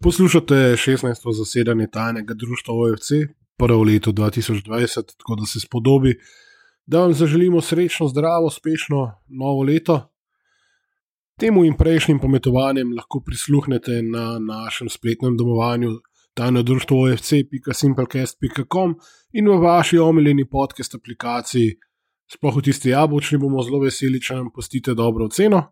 Poslušate 16. zasedanje tajnega društva OFC, prvo leto 2020, tako da se spodobi, da vam zaželimo srečno, zdravo, uspešno novo leto. Temu in prejšnjim pometovanjem lahko prisluhnete na našem spletnem domovanju tajno društvo OFC.simplecast.com in v vaši omiljeni podcast aplikaciji, sploh v tisti jabolčni, bomo zelo veseli, če nam pustite dobro oceno.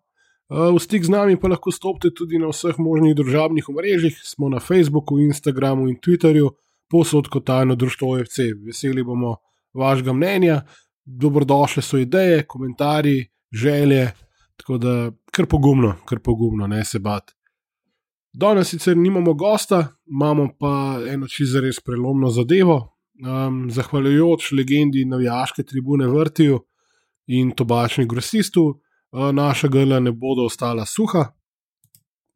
V stik z nami pa lahko stopite tudi na vseh možnih družabnih omrežjih, smo na Facebooku, Instagramu in Twitterju, povsod kot tajno društvo OFC. Veseli bomo vašega mnenja, dobrodošle so ideje, komentarji, želje, tako da kar pogumno, ne se bati. Danes sicer nimamo gosta, imamo pa eno čisto res prelomno zadevo. Zahvaljujoč legendi navijaške tribune Vrtiju in Tobačni grosistu, naša grla ne bodo ostala suha,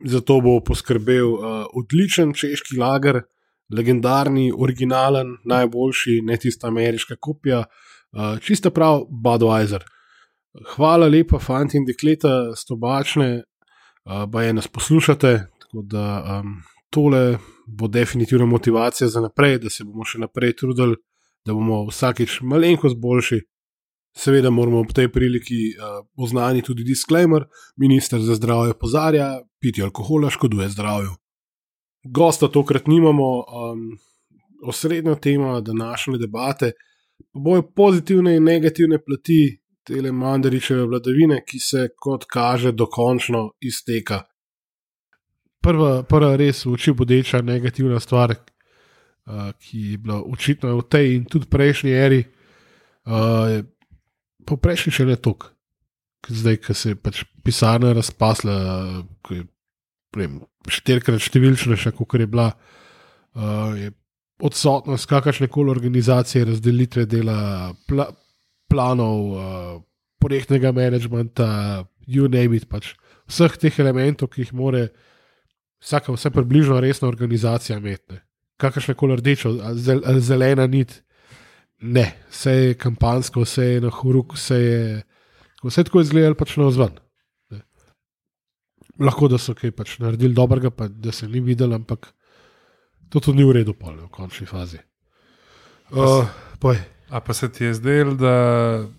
zato bo poskrbel odličen češki lager, legendarni, originalen, najboljši, ne tista ameriška kopija, čista prav Budweiser. Hvala lepa, fanti in dekleta s Tobačne, baje nas poslušate, tako da tole bo definitivno motivacija za naprej, da se bomo še naprej trudili, da bomo vsakič malenkost boljši. Seveda moramo ob tej priliki oznaniti tudi disclaimer, minister za zdravje opozarja, pitje alkohola škoduje zdravju. Gosta tokrat nimamo, osrednja tema današnje debate pa bojo pozitivne in negativne plati tele Mandarićeve vladavine, ki se kot kaže dokončno izteka. Prva res v oči bodeča negativna stvar, ki je bila očitna v tej in tudi prejšnji eri, po prejšnji še ne toliko. Zdaj, ko se je pač pisarna razpasla, ko je 4-krat številčnejša, kot je bila, je odsotnost kakršnekoli organizacije, razdelitve dela, planov, projektnega managementa, you name it, pač vseh teh elementov, ki jih more vse približno resna organizacija imeti. Kakršnekoli rdečo, zelena nit, ne, vse je kampansko, vse je na horuk, vse tako izgledalo pač na vzven. Lahko, da so kaj pač naredili dobrega, pa da se ni videli, ampak to tudi ni v redu v končni fazi. A pa se ti je zdelo, da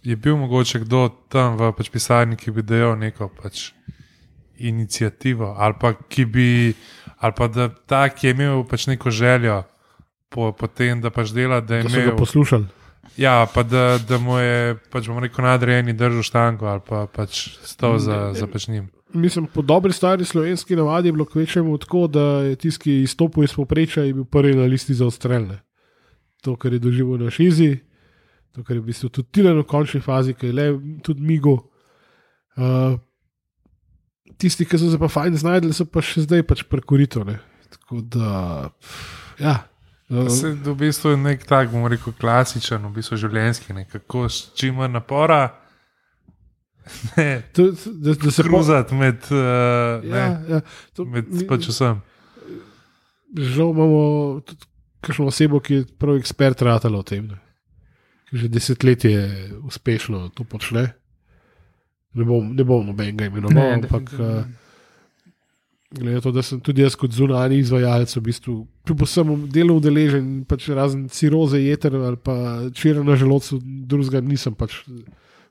je bil mogoče kdo tam v pač pisarni, ki bi dejal neko pač inicijativo, ali pa da ta, ki je imel pač neko željo po tem, da pač dela, da je imel... Da so ga poslušali. Ja, pa da mu je, pač bomo rekel, nadrejeni držal štango, ali pa pač stal za pač njim. Mislim, po dobri stari slovenski navadi je bilo kvečemu tako, da je tisti, ki izstopil iz povprečja, je bil prvi na listi za odstrelne. To, kar je doživel na Šizi, to, kar je v bistvu tudi Tilen v končni fazi, ki je le tudi Migo. Tisti, ki so se pa fajn znajdli, so pa še zdaj pač prekorito. Tako da, ja. Se v bistvu je nek tak, bomo rekel, klasičen, v bistvu življenjski, nekako s čim manj napora, da se kruzati med pač vsem. Žal imamo tudi kakšno osebo, ki je prav ekspert ratala o tem, ki že desetletje uspešno to počne. Ne bom nobenega imenoval, ampak glede to, da sem tudi jaz kot zunanji izvajalec v bistvu kljub vsemu delu udeležen, pač razen ciroze jeter ali pa čira na želodcu, drugega nisem pač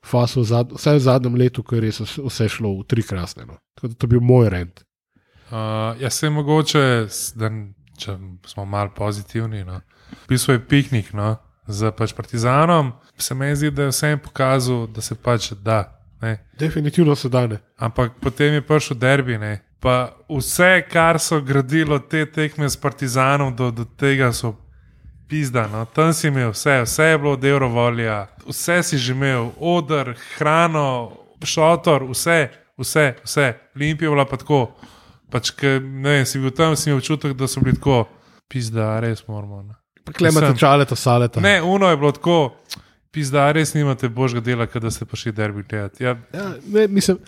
fasil, vsaj v zadnjem letu, ko je res vse šlo v tri krasne. Tako da to je bil moj rent. Jaz se mogoče, če smo malo pozitivni, v bistvu je piknik z pač Partizanom, se meni zdi, da je vsem pokazal, da se pač da. Ne. Definitivno se da, ne. Ampak potem je prišel derbi, ne. Pa vse, kar so gradilo te tekme s Partizanom, do tega so pizda. Tam si imel vse je bilo od Eurovolija, vse si že imel, oder, hrano, šotor, vse. Olimpija je bila pa tako, pač, ne vem, si bil tam, si imel občutek, da so bili tako, pizda, res moramo. Pa klemate čaleta, saleta. Ne, uno je bilo tako, pizda, res nimate božga dela, kada ste prišli derbi gledati. Ja, ne, mislim,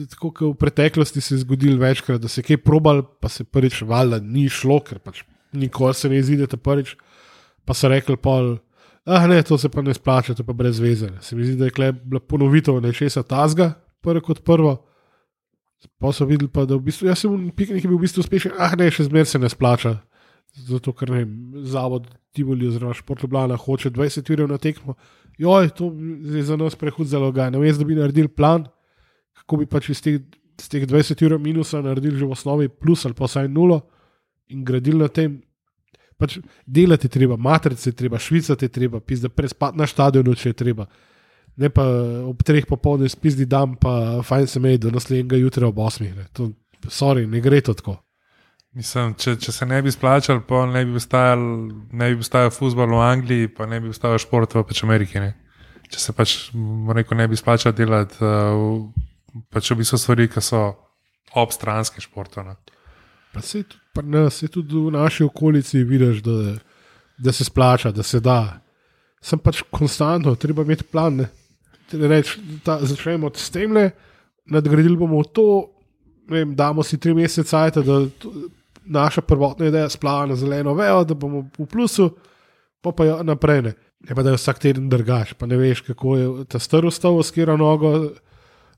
tako kot v preteklosti se je zgodilo večkrat, da se je kaj probal, pa se prvič valjda ni šlo, ker pač nikoli se ne izidete prvič, pa so rekli pol, ne, to se pa ne splača, to pa brez veze. Se mi zdi, da je bila ponovitev nečesa tazga, prvo kot prvo, Pa so videli, pa, da v bistvu, jaz sem v piknik bil v bistvu uspešen, še zmer se ne splača. Zato, ker ne vem, zavod Tivoli oziroma Šport Ljubljana hoče 20 ur na tekmo. Joj, to je za nas prehud zalogaj. Namesto da bi naredili plan, kako bi pač iz teh 20 ur minusa naredili že v osnovi plus ali pa vsaj nulo in gradili na tem. Pač delati je treba, matrice je treba, švicati je treba, pizda prespati na stadionu, če je treba. Ne pa ob 3 popoldne spizdi dan, pa fajn se meji do naslednjega jutra ob 8. Ne gre to tako. Mislim, če se ne bi splačal, pa ne bi ustajal fuzbol v Angliji, pa ne bi ustajal šport v Ameriki. Ne? Če se pač ne bi splačal delati pač v bistvu stvari, ki so obstranske športov. Pa se tudi v naši okolici vidiš, da se splača, da se da. Sem pač konstantno, treba imeti plan. Začnemo s temle, nadgradili bomo to, damo si 3 mesece cajta, da naša prvotna ideja splava na zeleno vejo, da bomo v plusu, pa jo naprej ne. Ne pa da jo vsak teden drgaš, pa ne veš, kako je ta star vstal, skira nogo.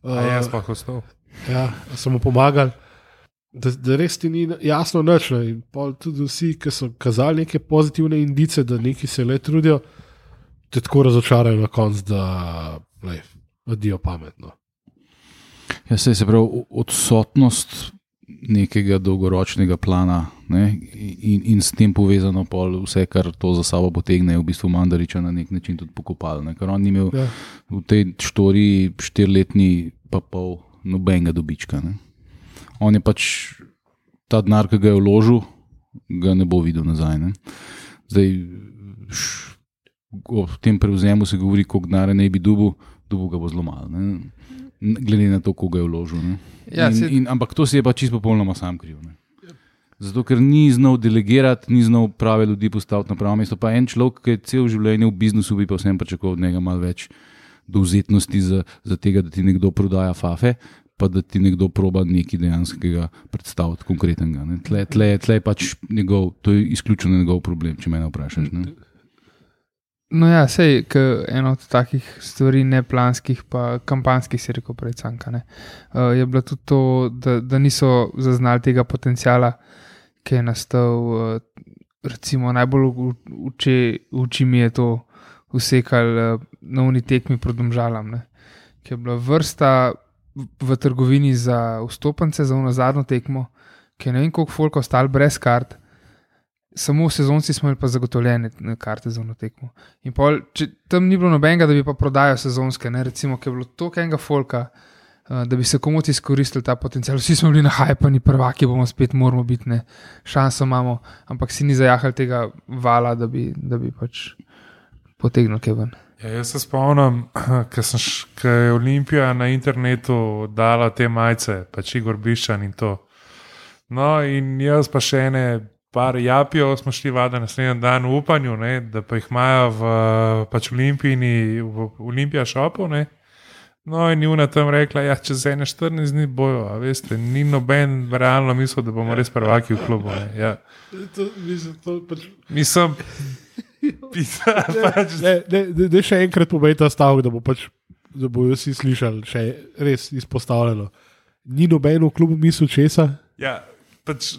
Jaz pa ostal. Ja, sem mu pomagal, da res ti ni jasno nič. In tudi vsi, ki so kazali neke pozitivne indice, da neki se le trudijo, te tako razočarajo na koncu, da vadijo pametno. Ja, se pravi, odsotnost nekega dolgoročnega plana, ne, in s tem povezano vse, kar to za sabo potegne, je v bistvu Mandariča na nek način tudi pokopal. Ker on ni imel v tej štoriji 4-letni pa pol nobenega dobička. Ne. On je pač ta denar, ki ga je vložil, ga ne bo videl nazaj. Ne. Zdaj, o tem prevzemu se govori, koliko denarja ne bi dobil ga bo zelo malo. Ne. Glede na to, koga je vložil. Ja, ampak to si je pa čisto popolnoma sam kriv. Ne. Zato, ker ni znal delegirati, ni znal prave ljudi postaviti na pravo mesto. Pa en človek, ki je cel življenje v biznisu, bi pa vsem pričakoval od njega malo več dovzetnosti za tega, da ti nekdo prodaja fafe, pa da ti nekdo proba nekaj dejanskega predstaviti, konkretnega. Ne. Tle je pač to je izključno njegov problem, če mene vprašaš. Ne. No ja, sej, eno od takih stvari neplanskih pa kampanskih, si rekel prej Canka, je bilo tudi to, da niso zaznali tega potencijala, ki je nastal, recimo najbolj v oči mi je to usekal na uni tekmi proti Domžalam, ki je bila vrsta v trgovini za vstopance, za ono zadnjo tekmo, ki je ne vem koliko folk ostali brez kart. Samo v sezonci smo imeli pa zagotovljene karte za ono tekmo. In pol, če tam ni bilo nobenega, da bi pa prodajal sezonske, recimo, ki je bilo toliko enega folka, da bi se komoti izkoristili ta potencial. Vsi smo bili nahajpani, prvaki bomo spet, moramo biti, šanso imamo, ampak si ni zajahal tega vala, da bi pač potegnil kaj ven. Ja, jaz se spomnim, ko je Olimpija na internetu dala te majice, pač Igor Biščan in to. No in jaz pa še ene par japijo, smo šli vada naslednji dan v upanju, da pa jih imajo v pač v Olimpija šopu. No in Juna tam rekla, čez 14 dni bojo, a veste, ni noben realno mislil, da bomo res prvaki v klubu. Ja. Mislim, da še enkrat povej ta stavek, da bojo vsi slišali, še res izpostavljeno. Ni noben v klubu mislil česa? Ja, pač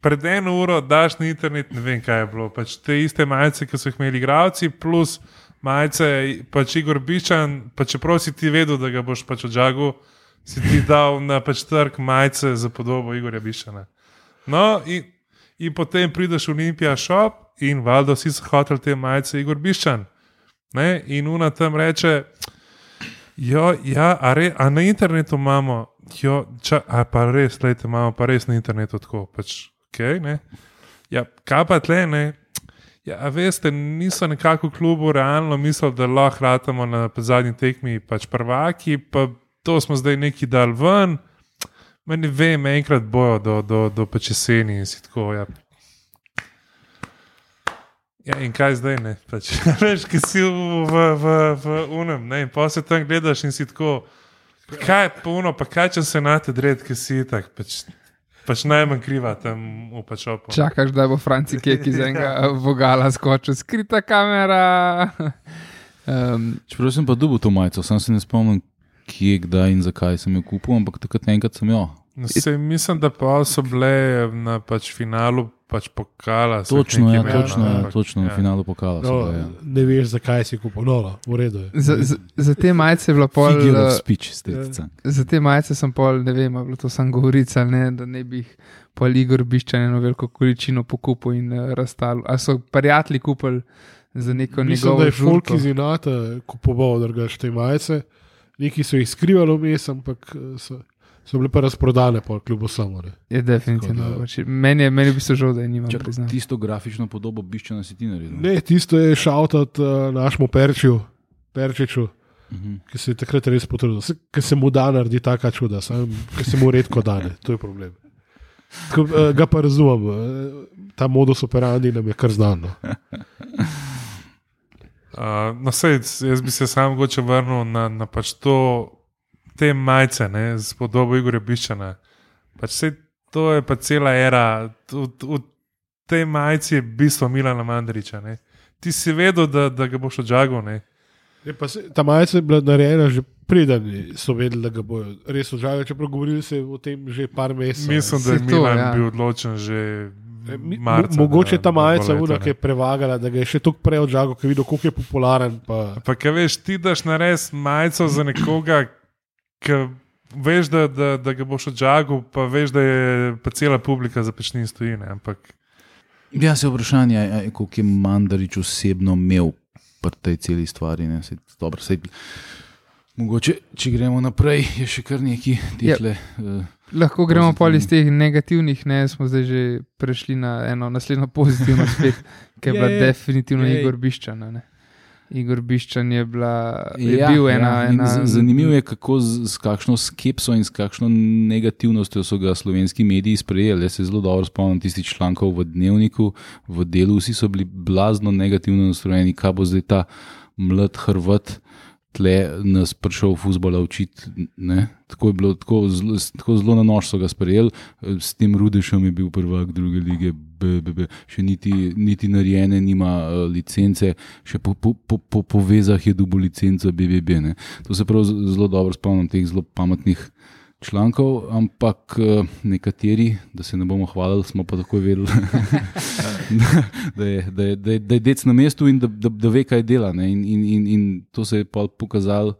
pred 1 uro daš na internet, ne vem, kaj je bilo. Pač te iste majice, ki so jih imeli igralci, plus majice, pač Igor Biščan, pa čeprav si ti vedel, da ga boš pač odžagal, si ti dal na pač trg majice za podobo Igorja Biščana. No, in potem prideš v Olimpija shop in valjda vsi so hoteli te majice Igor Biščan. In Una tam reče, a na internetu imamo, pa res, lejte, imamo pa res na internetu tako, pač. Okay, ja, kaj pa tle, ja, veste, niso nekako v klubu realno mislili, da lahko ratamo na zadnji tekmi pač prvaki, pa to smo zdaj neki dal ven, ne vem, enkrat bojo do pač jeseni in si tako, ja. Ja, in kaj zdaj, pač, veš, ki si v unem, in pa se tam gledaš in si tako, kaj pa uno, pa kaj če se nate dred, ki si tak, pač najmanj kriva tam v pačopu. Čakaš, da bo Franci Kek iz enega vogala skočil, skrita kamera. Čeprav sem pa dobil to majico, sam se ne spomnim, kje, kdaj in zakaj sem jo kupil, ampak takrat enkrat sem jo. No, mislim, da pa so bile na finalu pokala. Točno, na finalu pokala. Ne veš, zakaj si kupil, v redu je. Za te majice je bila pol... Figure of speech, estetica. Za te majice sem pol, ne vem, bilo to sam govorica, da ne bi jih pol Igor Biščan eno veliko količino pokupil in razstal. Ali so prijatelji kupili za neko njegovo žulto? Mislim, da je folk iz Inata kupoval drugače te majice. Neki so jih skrivali vmes, ampak so bile pa razprodane po klubu samo. Je definitivno. Meni je v bistvu žal, da je nimam priznal. Tisto grafično podobo Biščana si ti naredil? Ne, tisto je šautat našemu Perčiču, ki se je takrat res potrudil. Ker se mu da naredi taka čuda, ker se mu redko dane, to je problem. Tako, ga pa razumem, ta modus operandi nam je kar znano. Jaz bi se sam mogoče vrnil na pač te majice, z podobo Igorja Biščana. To je pa cela era. V tej majici je bistvo Milana Mandariča. Ne? Ti si vedel, da ga boš odžagal. Ta majica je bila narejena že preden so vedeli, da ga bojo res odžagali, čeprav govorili se o tem že par mesecev. Mislim, da je Milan bil odločen že marca. Mogoče ta majica ki je prevagala, da ga je še toliko prej odžagal, ker je videl, koliko je popularen. Pa kaj veš, ti daš nares majico za nekoga, ki veš, da ga boš odžagal, pa veš, da je pa cela publika za pečnin stoji. Ampak... Ja, se vprašanje, koliko je Mandarič osebno imel pri tej celi stvari. Dobro, mogoče, če gremo naprej, je še kar neki tehle... Lahko gremo pol iz teh negativnih, smo zdaj že prešli na eno naslednjo pozitivno spet, ki je bila definitivno Igor Biščan. Igor Biščan je bil ena... Zanimivo je, kako s kakšno skepso in s kakšno negativnostjo so ga slovenski mediji sprejeli. Jaz se zelo dobro spomnim tistih člankov v Dnevniku, v Delu, vsi so bili blazno negativno nastrojeni, kaj bo zdaj ta mlad Hrvat tle nas prišel fuzbola učiti. Tako je bilo, tako zelo na nož so ga sprejeli. S tem Rudešem je bil prvak druge lige, še niti narejene nima licence, še po vezah je dobil licenco BBB. Ne. To se prav zelo dobro spomnim teh zelo pametnih člankov, ampak nekateri, da se ne bomo hvalili, smo pa takoj vedeli, da je dec na mestu in da ve, kaj dela. Ne. In to se je pa pokazalo,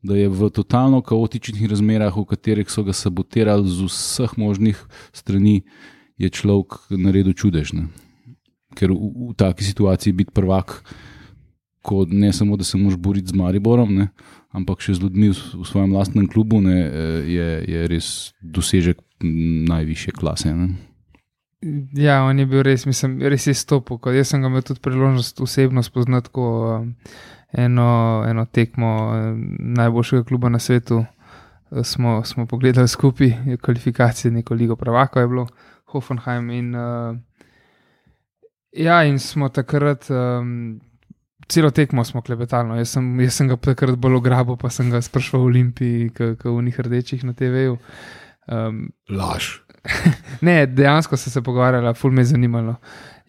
da je v totalno kaotičnih razmerah, v katerih so ga sabotirali z vseh možnih strani, je človek naredil čudež. Ne. Ker v taki situaciji biti prvak, ko ne samo, da se moraš boriti z Mariborom, ne, ampak še z ljudmi v svojem lastnem klubu, ne, je res dosežek najvišje klase. Ne. Ja, on je bil res, res je stopil. Jaz sem ga imel tudi priložnost osebno spoznati eno tekmo najboljšega kluba na svetu. Smo pogledali skupaj kvalifikacije, neko ligo prvakov je bilo, Hoffenheim in in smo takrat celo tekmo smo klepetali. Jaz sem ga takrat bolj ograbil, pa sem ga sprašval v Olimpiji, v unih rdečih na TV-ju. Laž. Ne, dejansko se pogovarjala, ful me je zanimalo.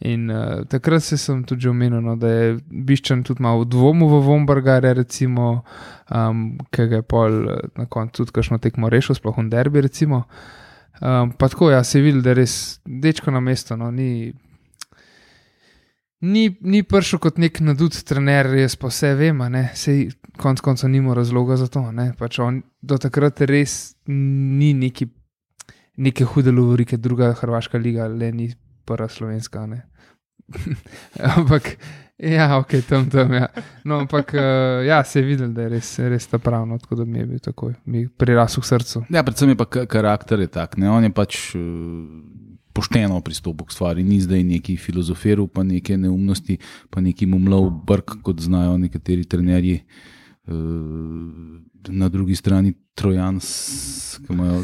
In takrat sem tudi že omenil, da je Biščan tudi malo v dvomu v Vombergarja, recimo, ki ga je pol na koncu tudi kakšno tekmo rešil, sploh v derbi, recimo. Pa tako, se je videl, da je res dečko na mesto, Ni prišel kot nek nadut trener, jaz pa vse vem, sej konc konca nima razloga za to. Pač on do takrat res ni neke hude lovorike, druga hrvaška liga, le ni prva slovenska. Ampak, tam, ja. No, ampak, se je videl, da je res ta pravno, tako da mi je bil takoj, mi je prirasel v srcu. Ja, predvsem je pa karakter je tak, on je pač pošteno pristopil k stvari, ni zdaj neki filozoferu, pa neke neumnosti, pa neki mumlov brk, kot znajo nekateri trenerji. Na drugi strani Trojans, ki imajo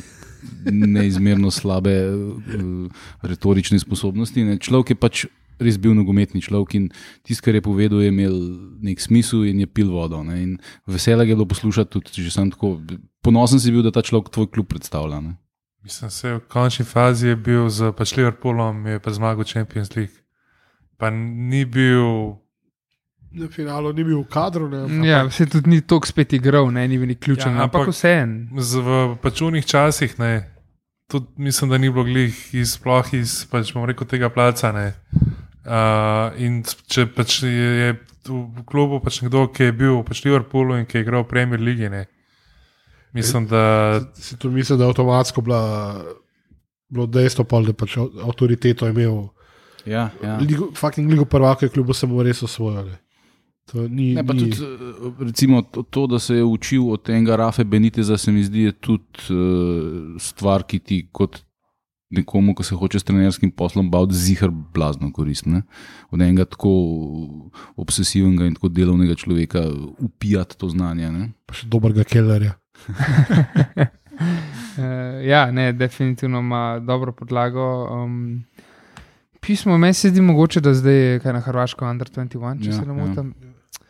neizmerno slabe retorične sposobnosti. Človek je pač res bil nogometni človek in tisto, kar je povedal, je imel nek smisel in je pil vodo. In veselje je bilo poslušati tudi, že sem tako ponosen si bil, da ta človek tvoj klub predstavlja. Mislim, v končni fazi je bil z Liverpoolom, je pa zmagal Champions League. Pa ni bil Na finalu ni bil v kadru. Ja, se tudi ni toliko spet igral, ni bil ključen, ampak vseeno. V pačunih časih, tudi mislim, da ni bilo glih sploh iz tega placa. In če pač je v klubu pač nekdo, ki je bil v Liverpoolu in ki je igral v Premier Ligi, mislim, da... Mislim, da je avtomatsko bilo dejstvo, da pač avtoriteto imel. Ja. Fucking ligo prvaka je klubu samo res osvojil. Tudi, recimo, to, da se je učil od tega Rafe Beniteza, se mi zdi, je tudi stvar, ki ti kot nekomu, ko se hoče s trenerskim poslom baviti, zihar blazno koristne. Od enega tako obsesivnega in tako delovnega človeka upijati to znanje. Ne? Pa še dobrega kellerja. Definitivno ima dobro podlago. Pismo, meni se zdi mogoče, da zdaj je kaj na Hrvaško Under 21, če se ne motim.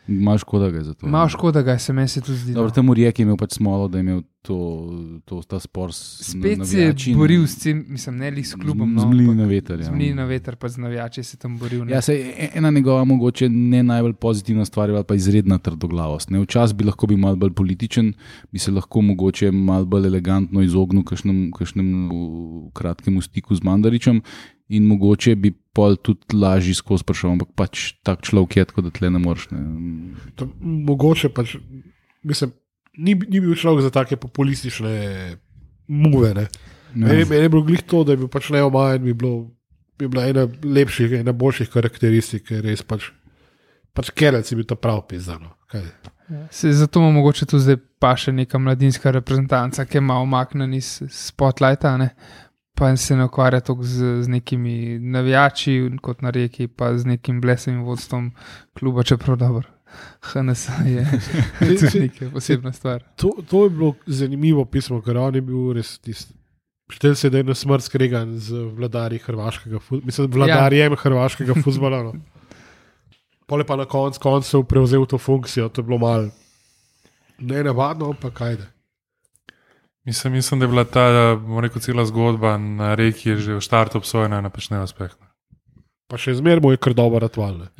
Malo škoda ga je za to. Malo škoda ga je, se meni se tudi zdi. Dobro, tam Rijek je imel pač smolo, da je imel ta spor s navijači. Spet se je boril s tem, mislim, ne li s klubom. Zmlini na veter. Zmlini na veter, pa z navijači se tam boril. Ja, ena njegova mogoče ne najbolj pozitivna stvar, pa izredna trdoglavost. Včasih bi lahko bil malo bolj političen, bi se lahko mogoče malo bolj elegantno izognil kakšnemu kratkemu stiku z Mandaričem. In mogoče bi pol tudi lažji skozi sprašal, ampak pač tak človek je, tako da tle ne moreš. Mogoče pač, mislim, ni bil človek za take populistične muve. Meni je bilo glih to, da je bil pač neomajen, bi bila ena lepših, ena boljših karakteristik, ker res pač Kerec je bil ta prav pizdano. Zato ima mogoče tu zdaj pa še neka mladinska reprezentanca, ki je malo omaknen iz spotlighta, pa se ne ukvarja toliko z nekimi navijači, kot na Rijeki, pa z nekim blesavim vodstvom kluba, čeprav dobro. HNS je tudi nekaj posebna stvar. To je bilo zanimivo pismo, ker on je bil res tisti. Štel se, da je na smrt skregan z vladarjem hrvaškega fuzbola. Pole pa na koncu prevzel to funkcijo, to je bilo malo nenavadno, pa kajde. Mislim, da je bila ta, cela zgodba na Reki že v štartu obsojena na pač neuspeh. Pa še zmeraj bo je kar dobro ratvalne.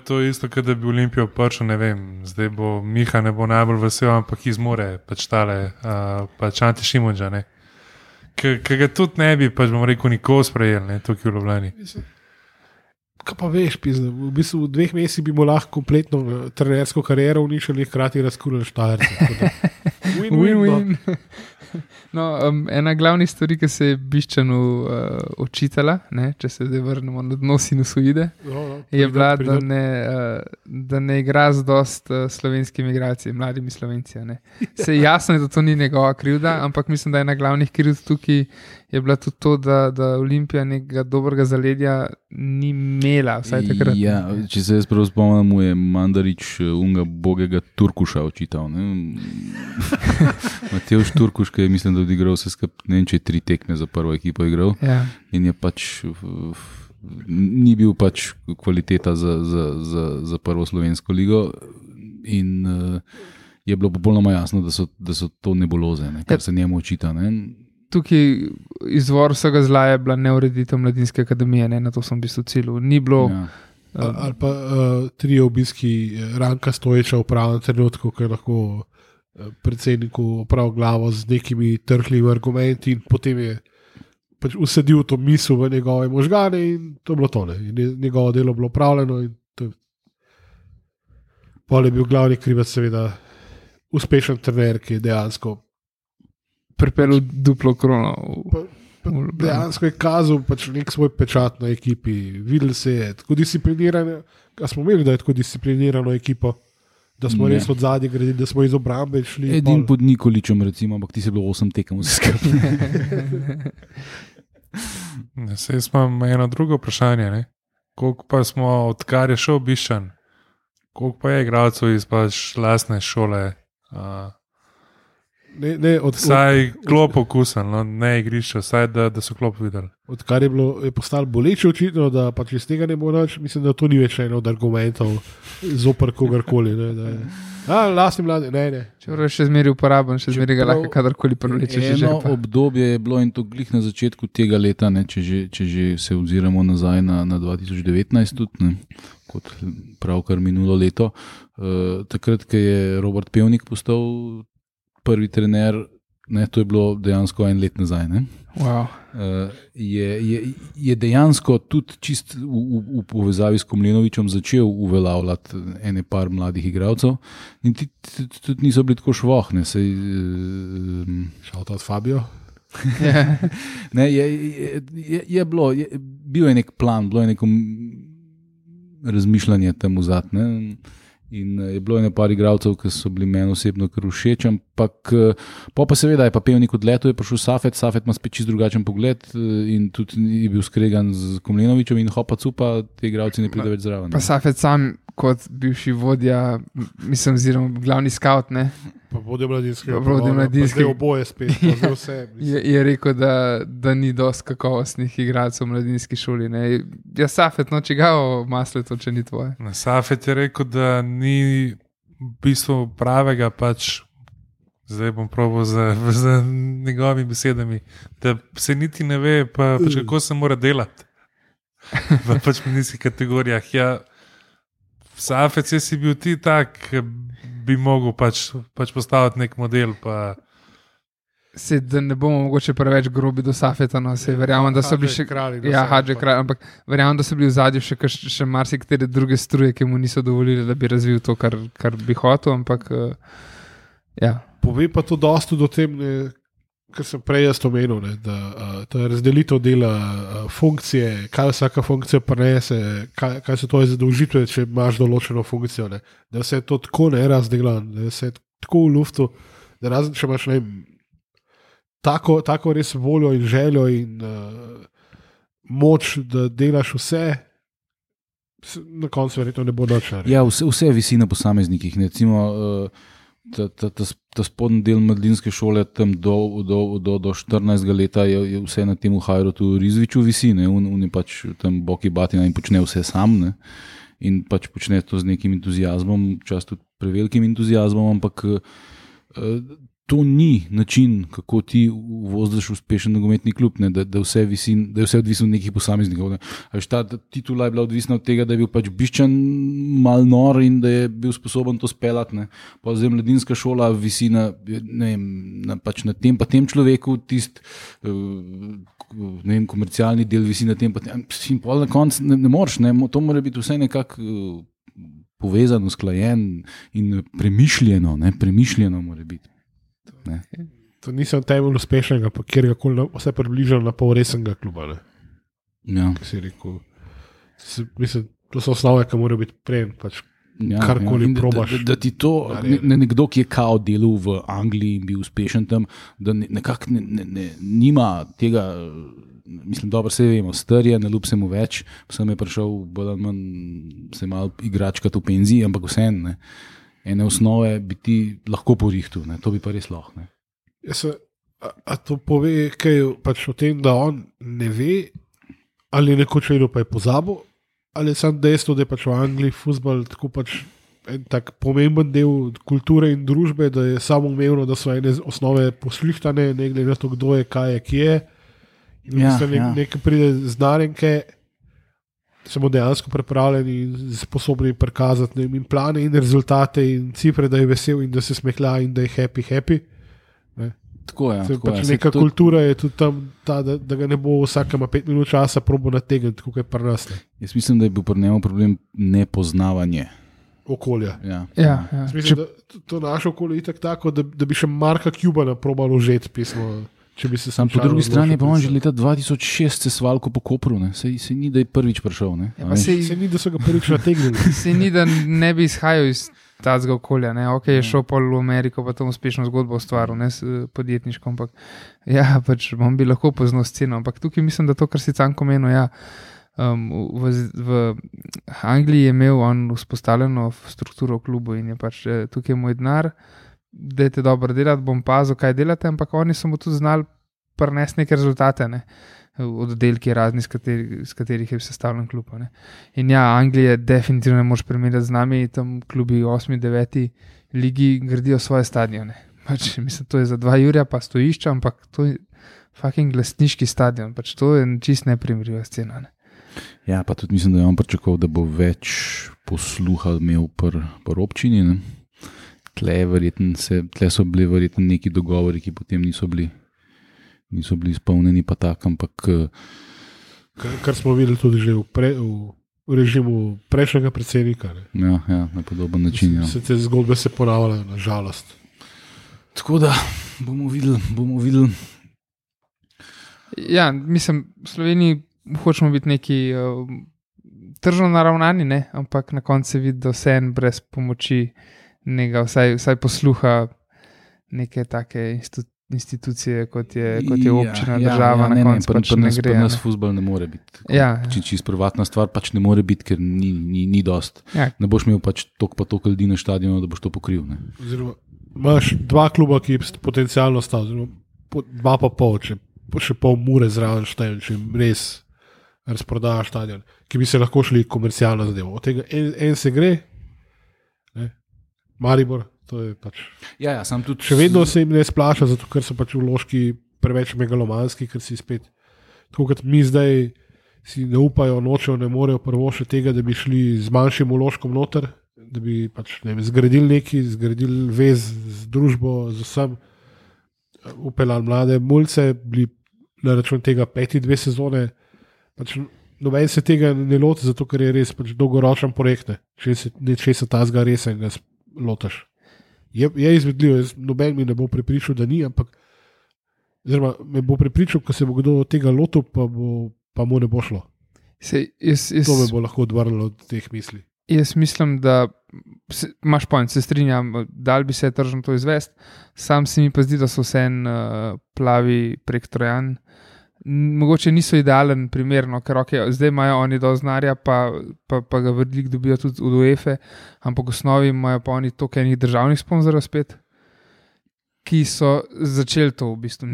To je isto, kot da bi Olimpijo pršel, ne vem, zdaj bo Miha ne bo najbolj vesel, ampak izmore pač tale, pač Ante Šimunđa, ki ga tudi ne bi, pač nikoli sprejel, tukaj v Ljubljani. Kaj pa veš, pizne, v bistvu v 2 mesecih bi mu lahko kompletno trenersko kariero uničili, hkrati razkurili Štajerce. Win-win. No, ena glavnih stvari, ki se je Biščanu očitala, če se zdaj vrnemo na dno sinusoide, je bila, da ne igra z dost slovenskimi igralci, mladimi Slovenci. Se jasno je, da to ni njegova krivda, ampak mislim, da ena glavnih krivd tukaj je bila tudi to, da Olimpija nekega dobrega zaledja ni imela, vsaj takrat. Ja, če se jaz prav spomnim, mu je Mandarič unga bogega Turkuša očital. Matevž Turkuš, ki je mislim, da odigral vse skupaj, ne vem, če je 3 tekme za prvo ekipo igral. Ja. In je pač ni bil pač kvaliteta za prvo slovensko ligo in je bilo popolnoma jasno, da so to nebuloze, kar se njemu očita. Tukaj izvor vsega zla je bila neureditev Mladinske akademije, na to sem v bistvu cilil. Ni bilo... Ja. Ali pa 3 obiski Ranka Stojiča v pravem trenutku, ki je lahko predsedniku opravil glavo z nekimi trhljivi argumenti in potem je pač usedil to misel v njegove možgane in to je bilo tole. Njegovo delo bilo upravljeno in pol je bil glavni krivec seveda uspešen trener, ki je dejansko pripeljal duplo krono. Dejansko je kazal pač nek svoj pečat na ekipi. Videli se je tako disciplinirano, a smo imeli, da je tako disciplinirano ekipo, da smo res od zadnje gradili, da smo iz obrambe šli. Edin pod Nikoličem recimo, ampak ti se bilo 8 tekem vse skupaj. Sej imam eno drugo vprašanje. Koliko pa smo, odkar je šel Biščan, koliko pa je igralcev iz pač lastne šole Vsaj klop okusen, no, ne igrišče, vsaj da so klop videli. Odkar je postalo boleče očitno, da pač iz tega ne bo nič, mislim, da to ni več eno od argumentov zoper kogarkoli. Lastni mladi, ne. Čeprav je še zmeraj uporaben, še zmeraj ga lahko kadarkoli prevlečeš. Eno obdobje je bilo in to glih na začetku tega leta, ne, če že se oziramo nazaj na 2019 tudi, ne, kot pravkar minulo leto. Takrat, ko je Robert Pevnik postal prvi trener, ne, to je bilo dejansko 1 let nazaj. Ne. Wow. Je dejansko tudi čist v povezavi s Komlenovičem začel uveljavljati ene par mladih igralcev in tudi niso bili tako švohne. Šalta od Fabio. Ne, bil je nek plan, bilo je neko razmišljanje tam vzad. In je bilo eno par igralcev, ki so bili meni osebno kar všeč, ampak pa seveda je pa Pevnik odletel, je prišel Safet ima spet čist drugačen pogled in tudi je bil skregan z Komlenovičem in hopa cupa, te igralci ne pride več zraven. Pa Safet sam kot bivši vodja, mislim, oziroma glavni scout, ne? Pa vodja mladinskega. Pa zdaj oboje spet, pa zdaj vse. Je rekel, da ni dosti kakovostnih igralcev v mladinski šoli. Ne? Ja, Safet, no čigavo maslo to, če ni tvoje. Safet je rekel, da ni v bistvu pravega, pač zdaj bom probal z njegovimi besedami, da se niti ne ve, pač kako se mora delati v pač mladinskih kategorijah. Ja, Safet, si bil ti tak, bi mogel pač postaviti nek model. Da ne bomo mogoče preveč grobi do Safeta, no, verjamem, da so bili še kralji. Ja, Hadže kralj, ampak verjamem, da so bili v zadju še marsikatere druge struje, ki mu niso dovolili, da bi razvil to, kar bi hotel, ampak ja. Pove pa to dosti do tem, kar sem prej jaz omenil, da ta razdelitev dela funkcije, kaj vsaka funkcija prinese, kaj se to je zadolžitve, če imaš določeno funkcijo, ne? Da se je to tako nerazdelano, da se je tako v luftu, da razen če imaš tako res voljo in željo in moč, da delaš vse, na koncu verjetno ne bo nič. Ja, vse visi na posameznikih. Recimo, ta spodnji del mladinske šole tam do 14. leta je vse na tem Hajrotu Rizviču visi, ne? On je pač tam boki batina in počne vse sam, ne? In pač počne to z nekim entuzijazmom, včasih tudi prevelikim entuzijazmom, ampak to ni način, kako ti vozdiš uspešen nogometni klub, ne? Da je vse odvisno od nekih posameznikov. Ta titula je bila odvisna od tega, da je bil pač Biščan mal nor in da je bil sposoben to speljati. Pa zdaj mladinska šola visi na tem človeku, komercialni del visi na tem, in pol na koncu ne moreš, ne? To mora biti vse nekako povezano, usklajen in premišljeno mora biti. Ne. To nisem temelj uspešnega, pa kjerkoli vse približal na pol resnega kluba. Ja. Ki si rekel, mislim, to so osnove, ki mora biti prej, pač karkoli probaš. Da ti to, nekdo, ki je kao delal v Angliji in bil uspešen tam, da nekako nima tega, mislim, dobro se vemo, star je, ne ljub se mu več, sem je prišel bolj ali manj se malo igračkati v penziji, ampak vseeno, ne. Ene osnove bi ti lahko porihtil, to bi pa res lahko. A to pove kaj pač o tem, da on ne ve, ali nekoč vedel pa je pozabil, ali je samo dejstvo, da je pač v Angliji fuzbal tako pač en tak pomemben del kulture in družbe, da je samoumevno, da so ene osnove poslihtane, ne glede na to, kdo je, kaj je, kje je. In nekaj pride znanjenke, smo dejansko pripravljeni in sposobni prikazati in plane in rezultate in cifre, da je vesel in da se smehlja in da je happy. Ne? Tako je. Pač neka kultura je tudi tam, da ga ne bo vsakama 5 minut časa probo nategniti, kako je pri nas. Jaz mislim, da je bil pri njemu problem nepoznavanje okolja. Ja. Mislim, da to naše okolje je tako, da bi še Marka Cubana probalo užeti pismo. Sam po drugi strani pa on že leta 2006 se svalko po Kopru, se ni, da je prvič prišel. Se ni, da so ga prvič nategnili. Se ni, da ne bi izhajal iz tazga okolja. Ok, je šel pol v Ameriko, pa tam uspešno zgodbo ustvaril, s podjetniškom, ampak ja, pač on bi lahko poznal sceno, ampak tukaj mislim, da to, kar si Canko menil, v Angliji je imel on vzpostavljeno strukturo v klubu in je pač tukaj moj denar, dajte dobro delati, bom pazil, kaj delate, ampak oni so mu tudi znali prinesti neke rezultate, ne? Oddelki razni, z katerih je sestavljen klub. Ne? In ja, Anglija definitivno ne moreš primerjati z nami, tam klubi 8. 9. ligi gradijo svoje stadione. Pač, mislim, to je za 2 jurja pa stojišča, ampak to je fucking glasniški stadion, pač to je čist neprimerljiva scena. Ne? Ja, pa tudi mislim, da je on pričakoval, da bo več posluha imel pri občini. Ne? Tle so bili verjetno neki dogovori, ki potem niso bili izpolnjeni, pa tak, ampak. Kar smo videli tudi že v režimu prejšnjega predsednika. Ja, na podoben način. Se te zgodbe se ponavljajo, na žalost. Tako da bomo videli. Ja, mislim, v Sloveniji hočemo biti neki tržno naravnani, ne? Ampak na koncu se vidi, da vse en brez pomoči nekega, vsaj posluha neke take institucije, kot je občina, država, na koncu pač ne gre. Pri nas fuzbol ne more biti. Čisto privatna stvar pač ne more biti, ker ni dost. Ja. Ne boš imel pač toliko ljudi na stadionu, da boš to pokril. Ne? Oziroma, imaš 2 kluba, ki potencialno sta, oziroma 2,5, še pol Mure zraven štejem, če res razprodaja stadion, ki bi se lahko šli komercialno zadevo. Od tega en se gre, ne? Maribor, to je pač. Ja, sam tudi. Še vedno se jim ne splača, zato ker so pač vložki preveč megalomanski, ker si spet, tako kot mi zdaj si ne upajo, nočejo, ne morejo prvošiti tega, da bi šli z manjšim vložkom noter, da bi pač, ne vem, zgradili vez z družbo, z vsem, upeljali mlade mulce, bili na račun tega 5-2 sezone, pač noben se tega ne loti, zato ker je res pač dolgoročen projekt, če se ta zga resen, ga lotaš. Je izvedljivo, noben mi ne bo prepričal, da ni, ampak me bo prepričal, ko se bo kdo od tega lotil, pa mu ne bo šlo. To me bo lahko odvrnilo od teh misli. Jaz mislim, da imaš point, se strinjam, dal bi se tržno to izvesti, sam se mi pa zdi, da so vse plavi prek Trojan. Mogoče niso idealen primer, no, ker zdaj imajo oni dosti denarja, pa ga veliko dobijo tudi od UEFA, ampak v osnovi imajo pa oni toliko enih državnih sponzorjev spet, ki so začeli to v bistvu.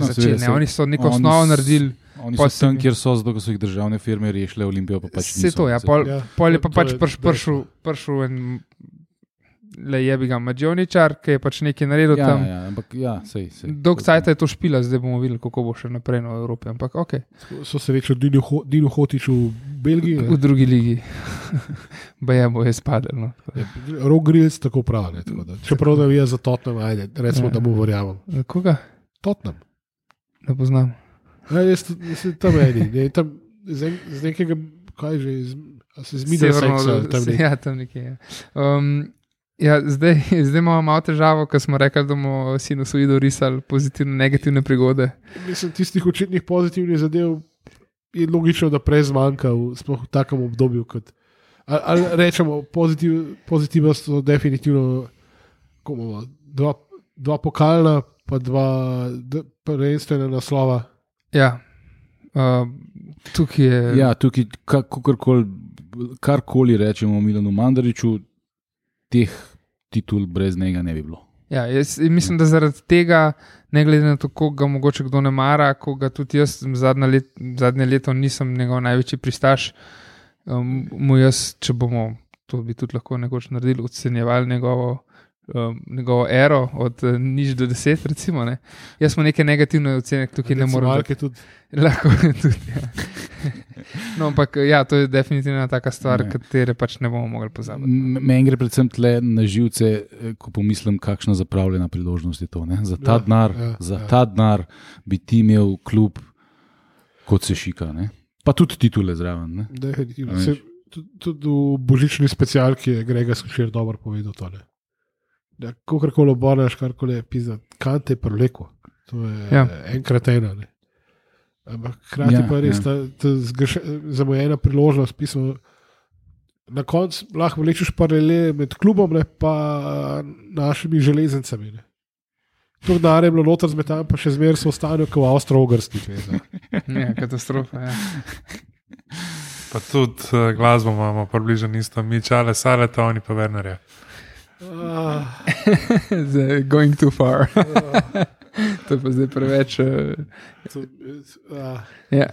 Oni so neko osnovo naredili. Oni so tam, kjer so, zato so jih državne firme rešile, Olimpijo pa pač niso. Vse to, ja. Pol je pa pač prišel en jebiga Mađoničar, ki je pač nekaj naredil tam. Ja, ampak ja, sej. Dolg cajta je to špila, zdaj bomo videli, kako bo še naprej v Evropi, ampak okej. So se reči Dino Hotič v Belgiji? V drugi ligi. Bo je spadel, no. Rok Grills tako pravi, čeprav da je za Tottenham, ajde, recimo, da mu verjamem. Koga? Tottenham. Ne poznam. Jaz tam eni, tam z nekega, kaj že, se z Middlesexa tam nekaj. Ja, tam nekaj, ja. Zdaj imamo malo težavo, ker smo rekli, da bomo sinusoido risali pozitivne, negativne prigode. Mislim, tistih očitnih pozitivnih zadev je logično, da prej zmanjka v takem obdobju, kot ali rečemo, pozitivno so definitivno dva pokalna, pa 2 prvenstvena naslova. Ja, tukaj je. Ja, tukaj, karkoli rečemo o Milanu Mandariću, teh titul brez njega ne bi bilo. Ja, jaz mislim, da zaradi tega, ne glede na to, koga ga mogoče kdo ne mara, koga tudi jaz zadnje leto nisem njegov največji pristaš, mu jaz, če bomo, to bi tudi lahko nekoč naredili, ocenjevali njegovo ero od 0 do 10, recimo. Ne. Jaz smo neke negativne ocene, tukaj ne moremo. Lahko tudi, ja. No, ampak ja, to je definitivno taka stvar, katere pač ne bomo mogli pozabiti. Meni gre predvsem tle na živce, ko pomislim, kakšna zapravljena priložnost je to. Ne? Za ta denar bi ti imel klub kot se šika. Ne? Pa tudi titule zraven. Definitivno. Tudi v božični specialki je Grega Skušer dobro povedal tole. Ja, kakorkoli obornaš, karkoli je pizda, kante je preleko. To je enkrat ena. Ne? Ampak hkrati pa je res ta zamujena priložnost, pismo, na koncu lahko vlečeš paralele med klubom, ne, pa našimi železnicami. Ne. To denar je bilo noter zmetan, pa še zmeraj so ostali kot v Avstro-Ogrski. Ja, katastrofa, ja. Pa tudi glasbo imamo približno isto, mi Čale Saleta, oni pa Wernerja. Going too far. To je pa zdaj preveč. Ja.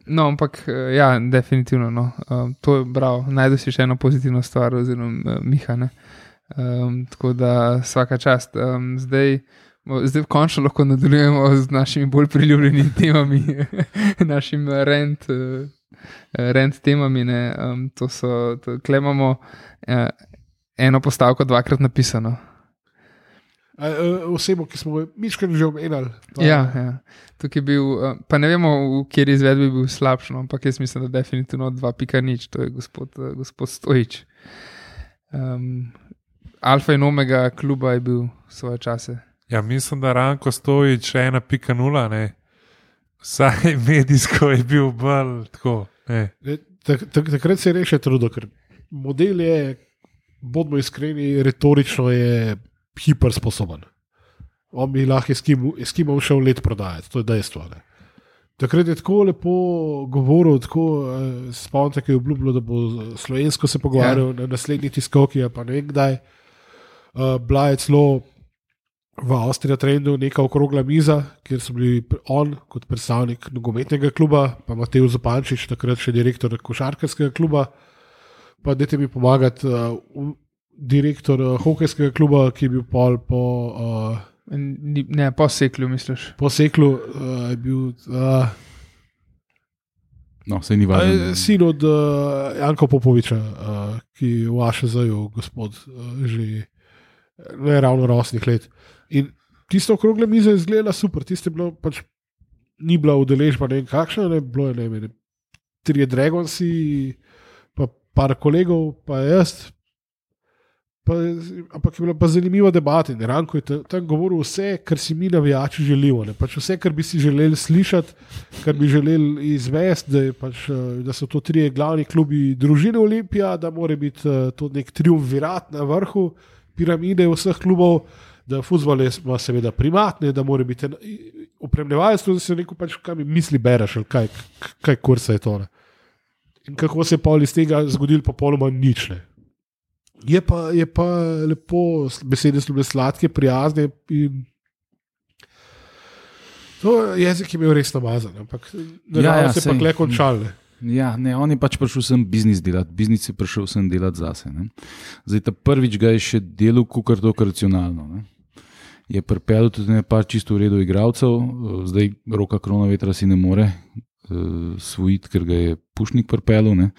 No, ampak ja, definitivno. No. To je bravo. Najdu si še eno pozitivno stvar, oziroma Miha. Tako da vsaka čast. Zdaj končno lahko nadaljujemo z našimi bolj priljubljenimi temami, našim rent temami. To imamo eno postavko dvakrat napisano. Osebo, ki smo miškrat že omenjali. Ja. Tukaj je bil, pa ne vemo, v kjer izvedbi bil slabšno, ampak jaz mislim, da definitivno 2.0, to je gospod Stojič. Alfa in omega kluba je bil svoje čase. Ja, mislim, da Ranko Stojič 1.0, ne. Vsaj medijsko je bil bolj tako. Takrat se je rešil trudo, ker model je, bodimo iskreni, retorično je hipersposoben. On bi lahko Eskimo šel let prodajati, to je dejstvo. Ne. Takrat je tako lepo govoril, tako spomnite, ki je obljubljal, da bo slovensko se pogovarjal na naslednji tiskovki, pa ne vem kdaj. Bila je celo v Avstriji trendu neka okrogla miza, kjer so bili on kot predstavnik nogometnega kluba, pa Matej Zupančič, takrat še direktor košarkarskega kluba, pa dajte mi pomagati direktor hokejskega kluba, ki je bil po Seklu, misliš? Po Seklu je bil se ni važno. Sin od Janka Popoviča, ki je v AŠZ-ju gospod že ne ravno rosnih let. In tisto okrogle mize je izgledala super, tiste bilo pač ni bila udeležba, ne vem kakšna, ne bilo je, ne vem, 3 Dragonsi, pa par kolegov, pa jaz. Ampak je bila pa zanimiva debata in Ranko je tam govoril vse, kar si mi navijači želimo. Pač vse, kar bi si želeli slišati, kar bi želeli izvesti, da so to 3 glavni klubi družine Olimpija, da mora biti to nek triumvirat na vrhu piramide vseh klubov, da fuzbol je seveda primatne, da mora biti opremljevalec, da se neko pač kaj mi misli bereš, ali kaj kursa je to. Ne? In kako se je pol iz tega zgodil popolnoma nič. Ne? Je pa lepo, besede so bile sladke, prijazne in to jezik je imel res namazan, ampak se pa kle končal. Ja, ne, on je pač prišel sem biznis delati, biznis je prišel sem delati zase. Ne. Zdaj ta prvič ga je še delal kukar to racionalno. Ne. Je pripeljal tudi par čisto v redu igralcev, zdaj Roka Kronavetra si ne more svojiti, ker ga je Pušnik pripeljal, ne.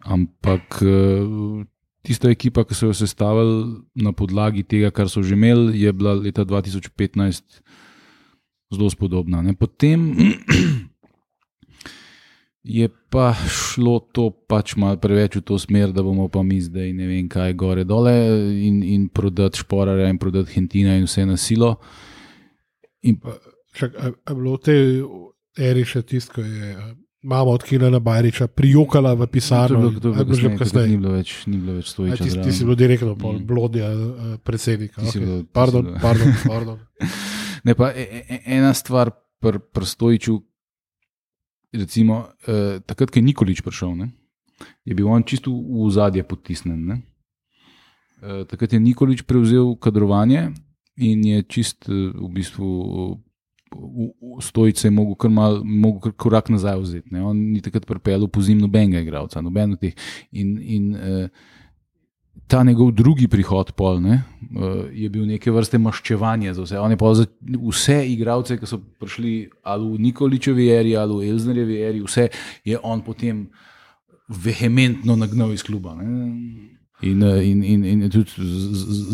Ampak tista ekipa, ki so jo sestavili na podlagi tega, kar so že imeli, je bila leta 2015 zelo spodobna. Ne. Potem je pa šlo to pač malo preveč v to smer, da bomo pa mi zdaj ne vem kaj gore dole in prodati Šporarja in prodati Hentina in vse na silo. Je bilo v tej eri še tisto, ko je mama od Kilana Bajriča prijokala v pisarno. To je bilo že kasneje. Ni bilo več Stojiča. Ti si bil direktno blodja predsednika. Pardon. Ne, pa ena stvar pri Stojiču, recimo, takrat, ko je Nikolić prišel, ne, je bil on čisto v ozadje potisnen. Ne. Takrat je Nikolić prevzel kadrovanje in je čist v bistvu Stojić se je mogel kar korak nazaj vzeti. Ne. On ni takrat pripeljal pozim nobenega igralca, noben od teh. In ta njegov drugi prihod pol, ne, je bil neke vrste maščevanje za vse. On je pa vse igralce, ki so prišli ali v Nikolićevi eri ali v Elznerjevi eri, vse je on potem vehementno nagnal iz kluba. Ne. In tudi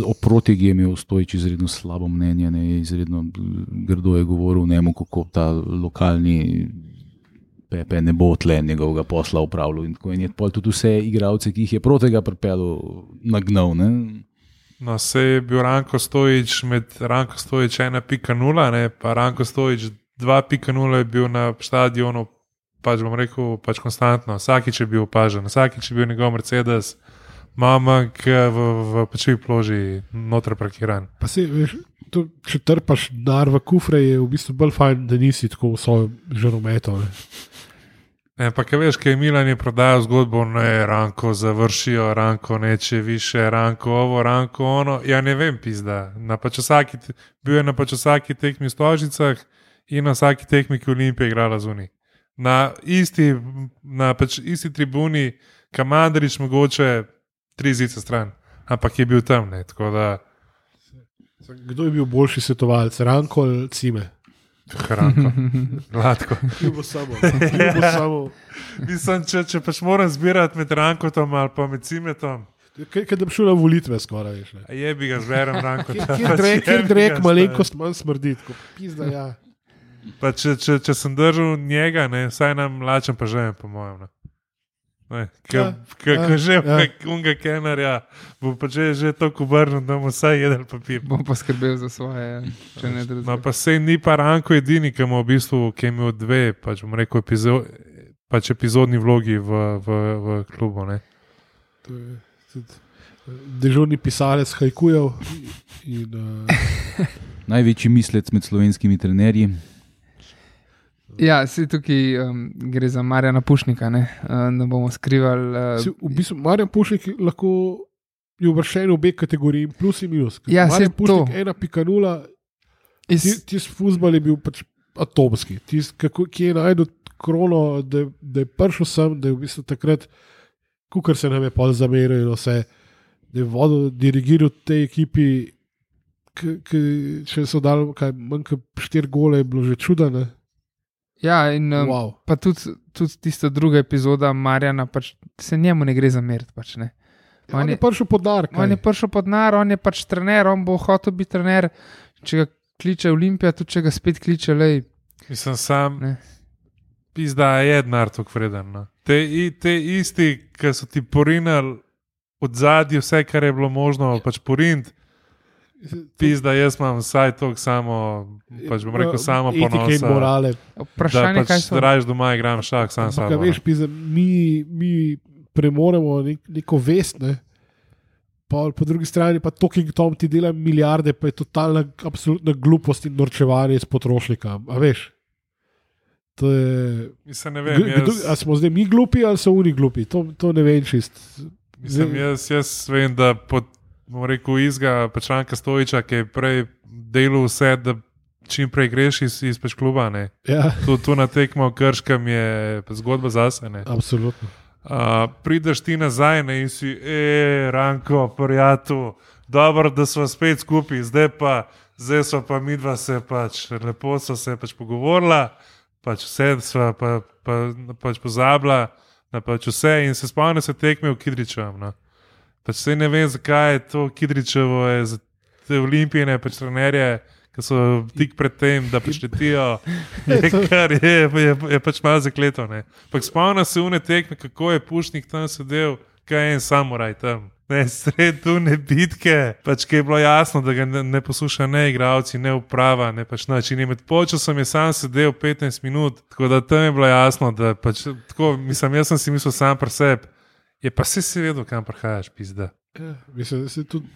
o Protegi je imel Stojić izredno slabo mnenje, ne, izredno grdo je govoril njemu, kako ta lokalni Pepe ne bo tle njegovega posla upravljal in je tudi vse igralce, ki jih je Protega pripeljal, nagnal. Ne? No, se je bil Ranko Stojić med Ranko Stojić 1.0, pa Ranko Stojić 2.0 je bil na stadionu, pač bom rekel, pač konstantno. Vsakič je bil opažen, vsakič je bil njegov Mercedes, mamak v pečevi ploži noter parkiran. Pa se, veš, če trpaš dar v kufre, je v bistvu bolj fajn, da nisi tako v svojem žarometu. Pa kaj veš, kaj Milan je prodajal zgodbo, ne, Ranko završijo, Ranko neče više, Ranko ovo, Ranko ono. Ja, ne vem, pizda. Bil je na pač vsaki tekmi v Stožicah in na vsaki tekmi, ki Olimpija igrala zunaj. Na isti tribuni, Kamandrič mogoče 3 zice stran, ampak je bil tam, ne, tako da. Kdo je bil boljši svetovalec, Ranko ali Cime? Hranko, gladko. Ljubo samo. Mislim, če pač moram zbirati med Rankotom ali pa med Cimetom. Kaj da bi šel na volitve skoraj, veš, ne? Je bi ga zberem Rankota. Kjer drek malenkost manj smrdi, tako pizda, ja. Pa če sem držal njega, ne, vsaj nam lačem pa žejem, po mojem, ne. Že unga kenarja, bo pa že toliko obrnil, da bomo vsaj jedel papir. Bom pa skrbel za svoje, če ne drugega. Pa sej ni pa Ranko edini, ki ima v bistvu, ki je imel 2, pač bom rekel, epizodni vlogi v klubu, ne. To je dežurni pisalec hajkujev in največji mislec med slovenskimi trenerji. Ja, si tukaj gre za Marjana Pušnika, ne bomo skrivali. V bistvu Marjan Pušnik lahko je uvrščen v obe kategoriji, plus in minus. Ja, Marjan Pušnik 1.0, tis fuzbal je bil pač atomski. Tis, ki je najdel krono, da je prišel sem, da je v bistvu takrat, kukar se nam je pol zameril in vse, da je dirigiral tej ekipi, če so dali manj kot 4 gole, je bilo že čuda, ne? Ja, in wow. Pa tudi tista druga epizoda Marjana, pač se njemu ne gre zameriti. Pač, ne. On je prišel pod nar. On je prišel pod nar, on je pač trener, on bo hotel biti trener. Če ga kliče Olimpija, tudi če ga spet kliče, lej. Mislim, sam pizda je denar tok vreden. No. Te isti, ki so ti porinali od zadnji vse, kar je bilo možno, pač poriniti. Pizda, jaz imam vsaj toliko samo, pač bom rekel, samo ponosa. Etike in morale. Vprašanje, da pač raje doma igram šah, sam samo. Veš, pizda, mi premoremo neko vest, ne? Po drugi strani pa Talking Tom ti dela milijarde, pa je totalna absolutna glupost in norčevanje iz potrošnika. A veš? To je... Mislim, ne vem, a smo zdaj mi glupi ali so oni glupi? To ne vem čist. Mislim, jaz vem, da bom rekel, izga Pečranka Stojiča, ki je prej delal vse, da čim prej greš iz kluba. Ja. Tu na tekmo Krškem je zgodba zase. Ne? Absolutno. Prideš ti nazaj, ne, in si, Ranko, prijatelj, dobro, da smo spet skupaj, zdaj so pa midva se pač, lepo so se pač pogovorila, pač vse sva pač pozabila, pač vse in se spomnim se tekme v Kidričevem. No. Pač se ne vem, zakaj je to Kidričevo, je za te olimpijine pač trenerje, ki so tik pred tem, da prišletijo, je pač malo zakleto. Pak spomnim se une tekme, kako je Pušnik tam sedel, kaj je en samuraj tam. Sred tune bitke, pač ki je bilo jasno, da ga ne posluša ne igralci, ne uprava, ne pač način. Med počasom je sam sedel 15 minut, tako da tam je bilo jasno, da pač tako, mislim, jaz sem si mislil sam pri sebi. Je pa se vedel, kam prihajaš, pizda. Ja, mislim, da se tudi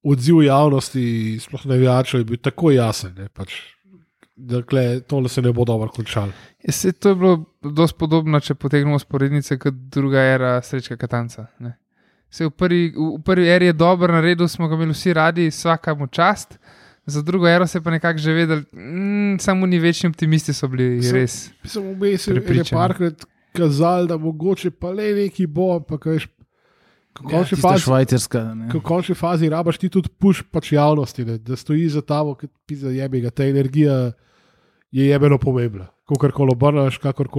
odziv javnosti, sploh navijačev, je bil tako jasen, ne, pač, da tole se ne bo dobro končalo. To je bilo dosti podobno, če potegnemo sporednice, kot druga era Srečka Katanca. Ne. V prvi eri je dobro naredil, smo ga imeli vsi radi, vsakemu čast, za drugo ero se pa nekako že vedeli, samo ni večni optimisti so bili res. Mislim, vmesel je parkrat kazali, da mogoče pa le neki bo, ampak veš, v končni fazi rabaš ti tudi puš pač javnosti, ne, da stoji za tabo, ki pizda jebega, ta energija je jebeno pomembna. Kakorkoli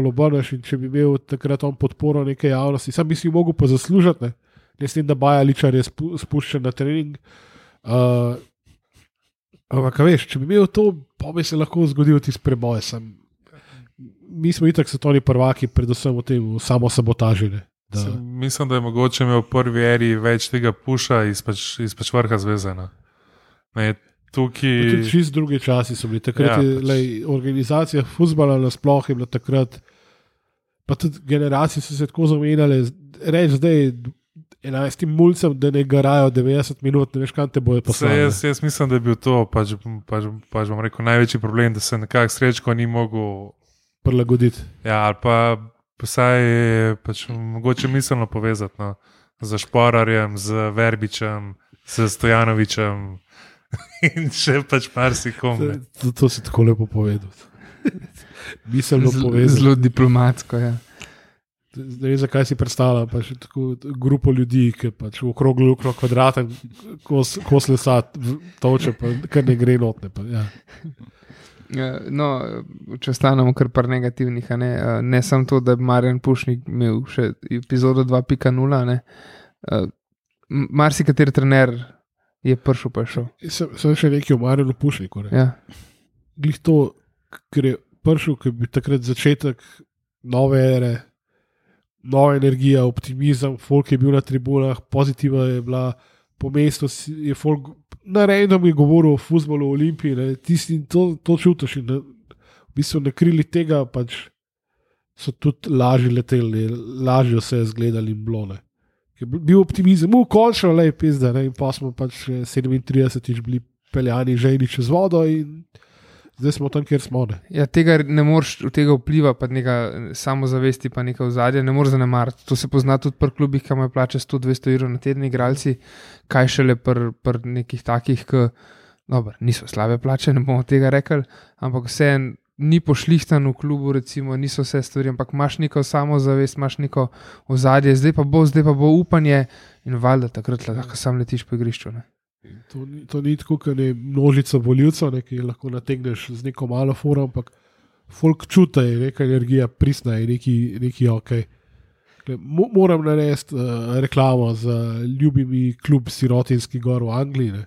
obrneš in če bi imel takrat on podporo neke javnosti, sam bi si mogel pa zaslužiti, ne s tem, da Baja Ličar je spuščen na trening. Ampak veš, če bi imel to, pa bi se lahko zgodil tisti preboj. Mi smo itak svetovni prvaki, predvsem v tem samosabotaži. Mislim, da je mogoče imel v prvi eri več tega puša iz vrha zveze. Tudi čist drugi časi so bili. Takrat je organizacija fuzbala nasploh je bila takrat, pa tudi generacije so se tako zamenjale. Reč zdaj 11 mulcem, da ne garajo 90 minut, ne veš, kam te bojo poslali. Jaz mislim, da je bil to pač bom rekel, največji problem, da se nekako Srečko ni mogel prilagoditi. Ja, ali pa Vsaj je pač mogoče miselno povezati, no, z Šporarjem, z Verbičem, z Stojanovičem in še pač marsikom. To si tako lepo povedal. Miselno povezati. Zelo diplomatsko, ja. Ne vem, zakaj si predstavljam, pa še tako grupo ljudi, ki pač v okroglu kvadraten kos lesa toče, pa kar ne gre notne. Pa, ja. No, če ostanemo kar par negativnih, ne samo to, da je Marjan Pušnik imel še epizodo 2.0, marsikateri trener je prišel pa šel. Sem še nekaj o Marjanu Pušniku. Ja. Glih to, ker je prišel, ker bi takrat začetek nove ere, nova energija, optimizem, folk je bil na tribunah, pozitiva je bila, po mestu je folk naredom je govoril o fuzbolu, o Olimpiji, tisti to čutiš in v bistvu na krili tega pač so tudi lažje leteli, lažje se je zgledali in blone. Bil optimizem, končno lej pizda, in pa smo pač 37 bili peljani žejni čez vodo in zdaj smo tam, kjer smo. Ja, tega ne moreš, od tega vpliva pa neka samozavesti, pa neka ozadja, ne moreš zanemariti. To se pozna tudi pri klubih, ki imajo plače 100-200 evrov na teden igralci, kaj šele pri nekih takih, ki niso slabe plače, ne bomo tega rekli, ampak vse ni pošlihtan v klubu, recimo, niso vse stvari, ampak imaš neko samozavest, imaš neko ozadje, zdaj pa bo upanje in valjda takrat lahko sam letiš po igrišču. Ne? To ni tako, kot je množica voljivcev, ki lahko nategneš z neko malo foro, ampak folk čuta je neka energija prisna in neki ok. Moram narediti reklamo za ljubimi klub Sirotinski gor v Angliji.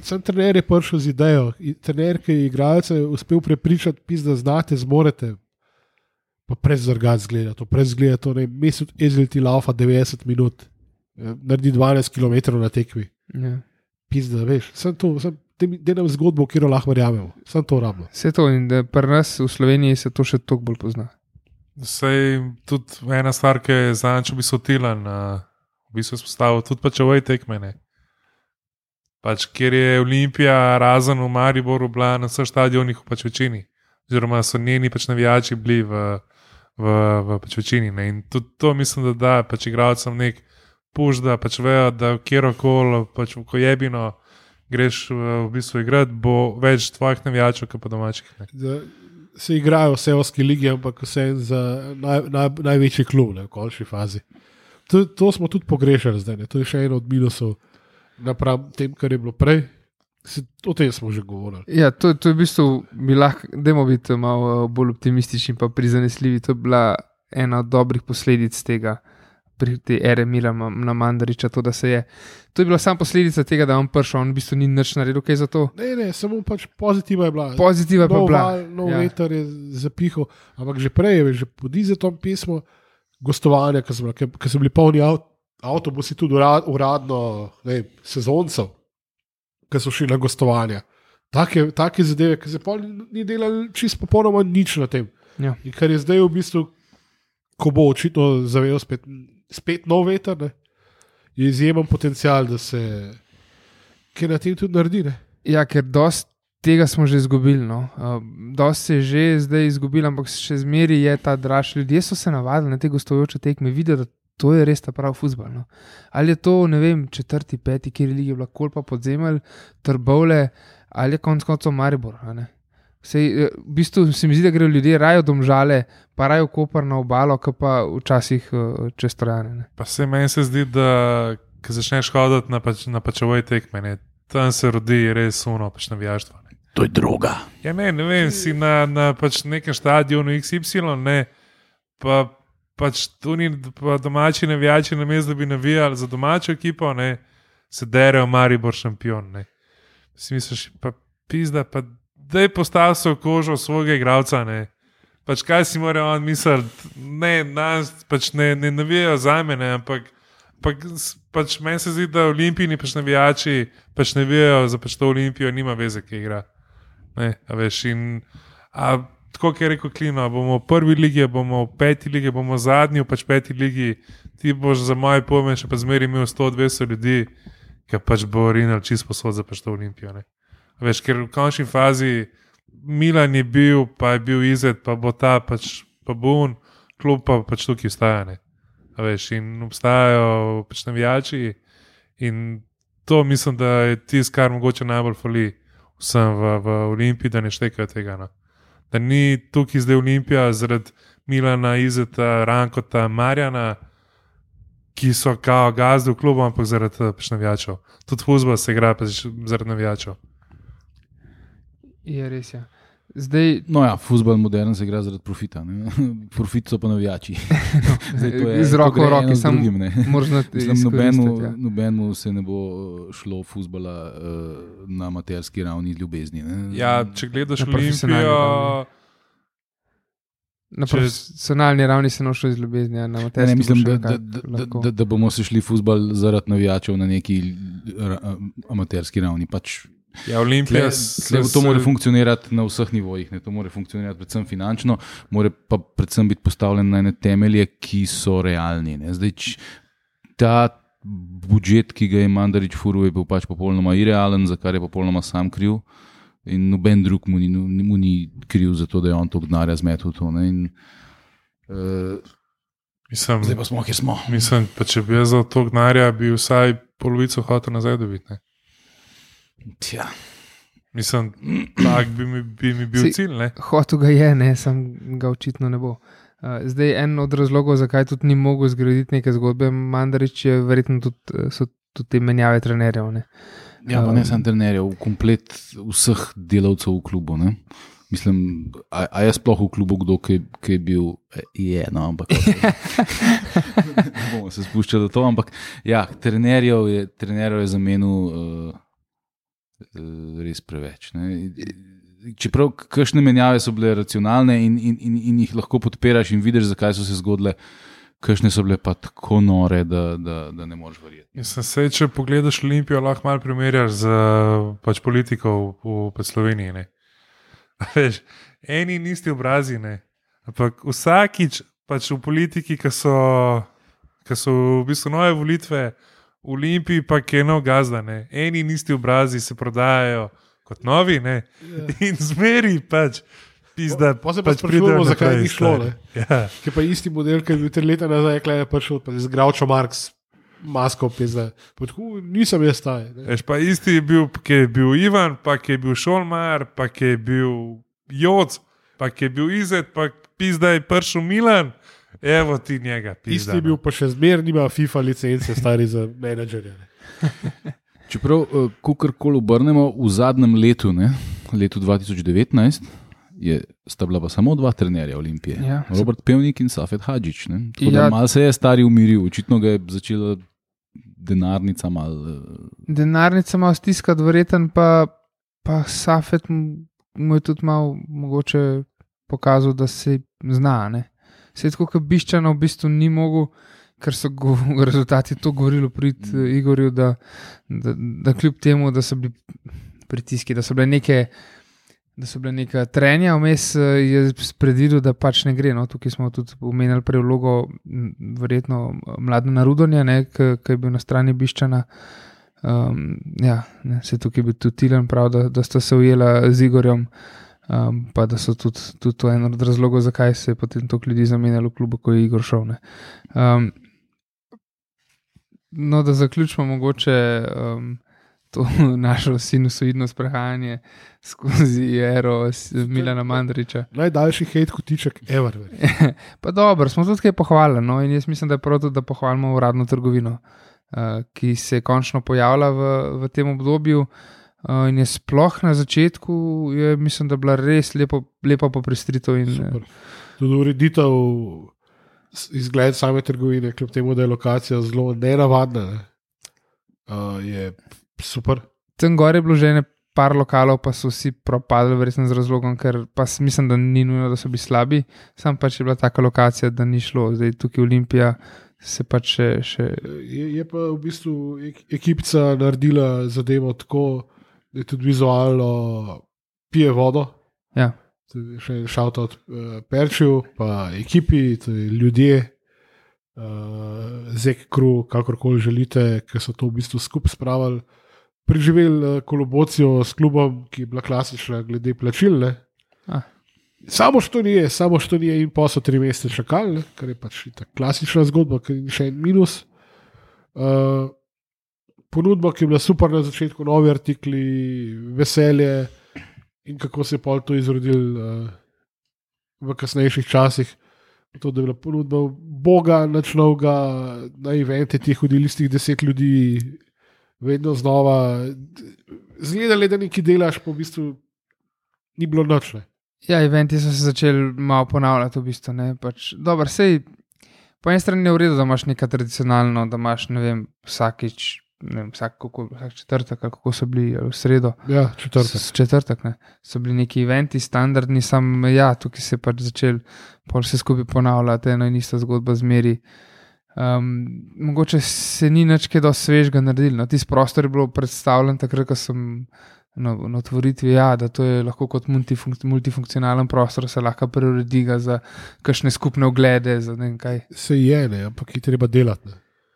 Sam trener je prišel z idejo, trener, ki je igralce uspel prepričati, da znate, zmorete, pa prezrgat zgleda, mesec ezilti laufa 90 minut, naredi 12 km na tekmi. Ja. Pizda, veš, delam zgodbo, kjer lahko verjamemo, sem to rabno. Vse to in pri nas v Sloveniji se to še toliko bolj pozna. Sej tudi ena stvar, ki je zanjčo bi sotilan, v bistvu spostavil tudi pač ovoj tekmene. Pač, kjer je Olimpija razen v Mariboru bila na vseh stadionih v pač večini, oziroma so njeni pač navijači bili v pač večini. Ne? In tudi to mislim, da pač igralcem nek puš, da pač vejo, da kjerokoli, pač v kojebino greš v bistvu igrati, bo več tvojih navijačev, kot pa domačih. Se igrajo v seoski ligi, ampak vse za največji klub, v končni fazi. To smo tudi pogrešali zdaj, to je še eno od minusov napram tem, kar je bilo prej. O tem smo že govorili. Ja, to je v bistvu, dajmo biti malo bolj optimistični pa prizanesljivi, to je bila ena od dobrih posledic tega, pri tej ere Milana Mandariča, to je bila samo posledica tega, da on prišel, on v bistvu ni nič naredil, kaj za to. Ne, samo pač pozitiva je bila. Pozitiva je bila. Nov veter je zapihal, ampak že prej je, že pod Izetom pismo, gostovanja, ki so bili polni avtobusi tudi uradno sezoncev, ki so šli na gostovanja. Take zadeve, ki se pa ni delali čisto popolnoma nič na tem. Ja. In kar je zdaj v bistvu, ko bo očitno zavel spet nov veter, je izjemen potencial, da se kaj na tem tudi naredi. Ne? Ja, ker dosti tega smo že izgubili. No. Dosti se je že zdaj izgubili, ampak še zmeri je ta draž. Ljudje so se navadili na te gostujoče tekme, vidijo, da to je res ta prav fuzbal. No. Ali je to, ne vem, 4., 5., kjer je lige bila Kolpa, Podzemelj, Trbovlje, ali je konec koncev Maribor. V bistvu se mi zdi, da grejo ljudje raje v Domžale, pa raje v Koper na obalo, kot pa včasih čez Trojane. Pa se meni se zdi, da ko začneš hoditi na pačovoj tekme, tam se rodi res suno pač navijaštvo. To je droga. Ja, ne vem, si na pač nekem stadionu XY, pa pač tu ni pa domači navijači, namesto da bi navijali za domačo ekipo, se derejo Maribor šampion. Si misliš, pa pizda, pa daj postavi se v kožo svojega igralca, Pač kaj si mora on misliti, nas pač ne navijajo za mene, ampak pač meni se zdi, da olimpijni pač navijači pač navijajo za pač to Olimpijo, nima veze, ki igra. Tako, kot je rekel Klino, bomo v prvi ligi, bomo v 5. ligi, bomo zadnji v pač 5. ligi, ti boš za moje pojme še pa zmeri imel 100-200 ljudi, ki pač bo rinal čisto posod za pač to Olimpijo. Ker v končni fazi Milan je bil, pa je bil Izet, pa bo ta pač pa Bun, klub pa pač tukaj ostaja. Veš, in obstajajo pač navijači in to mislim, da je tisto, kar mogoče najbolj fali vsem v Olimpiji, da ne štekajo tega. No. Da ni tukaj zdaj Olimpija zaradi Milana, Izeta, Rankota, Marjana, ki so kao gazdi v klubu, ampak zaradi pač navijačev. Tudi fuzbol se igra pač zaradi navijačev. Je res, ja. Zdaj, no ja, fuzbol modern se igra zaradi profita. Ne? Profit so pa navijači. Z roko v roki, samo možno nobenemu se ne bo šlo fuzbola na amaterski ravni ljubezni. Ne? Ja, če gledaš Olimpijo... Na profesionalni ravni se nošlo iz ljubezni, na amaterski ravni. Mislim, da bomo se šli fuzbol zaradi navijačev na neki amaterski ravni. Pač ja, Olimpija to mora funkcionirati na vseh nivojih, ne? To mora funkcionirati predvsem finančno, mora pa predvsem biti postavljen na ene temelje, ki so realni. Ne? Zdaj, ta budžet, ki ga je Mandarić furil, je bil pač popolnoma irealen, za kar je popolnoma sam kriv. In noben drug mu ni kriv za to, da je on to denarja zmetil. Zdaj pa smo, kjer smo. Mislim, pa če bi jaz za to denarja, bi vsaj polovico hotel nazaj dobiti. Tja. Mislim, tak bi mi bil cilj. Hotel ga je, sam ga očitno ne bo. Zdaj, en od razlogov, zakaj tudi ni mogel zgraditi neke zgodbe Mandarić, je verjetno so tudi te menjave trenerjev. Ja, pa ne samo trenerjev, komplet vseh delavcev v klubu. Ne? Mislim, a je sploh v klubu kdo, ki je bil, ampak ne bomo se spuščali do to, ampak ja, trenerjev je zamenil res preveč. Ne? Čeprav kakšne menjave so bile racionalne in jih lahko podpiraš in vidiš, zakaj so se zgodile, kakšne so bile pa tako nore, da ne moreš verjeti. Mislim, če pogledaš Olimpijo, lahko malo primerjaš z pač politikov v Sloveniji. Ne? Veš, eni in isti obrazi, ne? Ampak vsakič pač v politiki, ki so v bistvu nove volitve v Olimpiji, pa je nov gazda. Ne? Eni in isti obrazi se prodajajo kot novi, ne? In zmeri pač. Pa se pač sprašujemo, zakaj ni šlo. Ja. Ki pa isti model, ki je bil 3 leta nazaj, je prišel z Groucho Marx masko, nisem jaz taj. Pa isti je bil, ki je bil Ivan, pa ki je bil Šolmar, pa ki je bil Joc, pa ki je bil Izet, pa pizda je prišel Milan, evo ti njega. Pizda, isti je bil pa še zmer, nima FIFA licence, stari za menedžerje. Čeprav, kakorkoli obrnemo, v zadnjem letu, letu 2019, sta bila pa samo 2 trenerja Olimpije. Ja, Robert Pevnik in Safet Hadžić. Malo se je stari umiril, očitno ga je začela denarnica malo stiskati, verjeten pa Safet mu je tudi malo mogoče pokazal, da se zna. Se je tako, kot Biščana v bistvu ni mogel, ker so rezultati to govorili prid Igorju, da kljub temu, da so bili pritiski, da so bile neka trenja, vmes je predvidel, da pač ne gre. No? Tukaj smo tudi omenjali prej vlogo verjetno Mladena Rudonja, ki je bil na strani Biščana. Se tukaj je bil tudi Tilen prav, da sta se ujela z Igorjem, pa da so tudi to en od razlogov, zakaj se je potem toliko ljudi zamenjalo v klubu, ko je Igor šel. No, da zaključimo mogoče to našo sinusoidno sprehajanje skozi ero Milana Mandarića. Najdaljši hejt kotiček ever. Pa dobro, smo tudi kaj pohvalili, no? In jaz mislim, da je prav tudi, da pohvalimo uradno trgovino, ki se je končno pojavila v tem obdobju in je sploh na začetku, mislim, da bila res lepo popestritev. Tudi ureditev izgled same trgovine, kljub temu, da je lokacija zelo nenavadna, je super. Tam gore je bilo že par lokalov, pa so vsi propadli, verjetno z razlogom, ker pa mislim, da ni nujno, da so bili slabi, sam pač je bila taka lokacija, da ni šlo. Zdaj tukaj Olimpija se pač še... Je pa v bistvu ekipica naredila zadevo tako, da je tudi vizualno pije vodo. Ja. Še shoutout Perčiju, pa ekipi, ljudje, Zek Kru, kakorkoli želite, ki so to v bistvu skupaj spravili. Preživeli kolobocijo s klubom, ki je bila klasična glede plačil. Samo štonije in pa so 3 mesece čakali, kar je pač ta klasična zgodba, ker je še en minus. Ponudba, ki je bila super na začetku, novi artikli, veselje in kako se je pol to izrodil v kasnejših časih. To, da je bila ponudba Boga, nič novega, na evente tih hodili z 10 ljudi, vedno znova. Zgledali, da nekaj delaš, pa v bistvu ni bilo nič. Ja, eventi so se začeli malo ponavljati, v bistvu. Dobro, sej, po eni strani je v redu, da imaš nekaj tradicionalno, da imaš, ne vem, vsakič, ne vem, vsak četrtek, kako so bili, v sredo. Ja, četrtek. So bili neki eventi, standardni, tukaj se je pač začel, pol se skupaj ponavljati, eno in isto zgodbo zmeri. Mogoče se ni nič kaj dosti svežega naredili. Tisti prostor je bilo predstavljen takrat, ko sem na otvoritvi, da to je lahko kot multifunkcionalen prostor, se lahko preuredi ga za kakšne skupne oglede, za ne vem kaj. Se je, ampak je treba delati.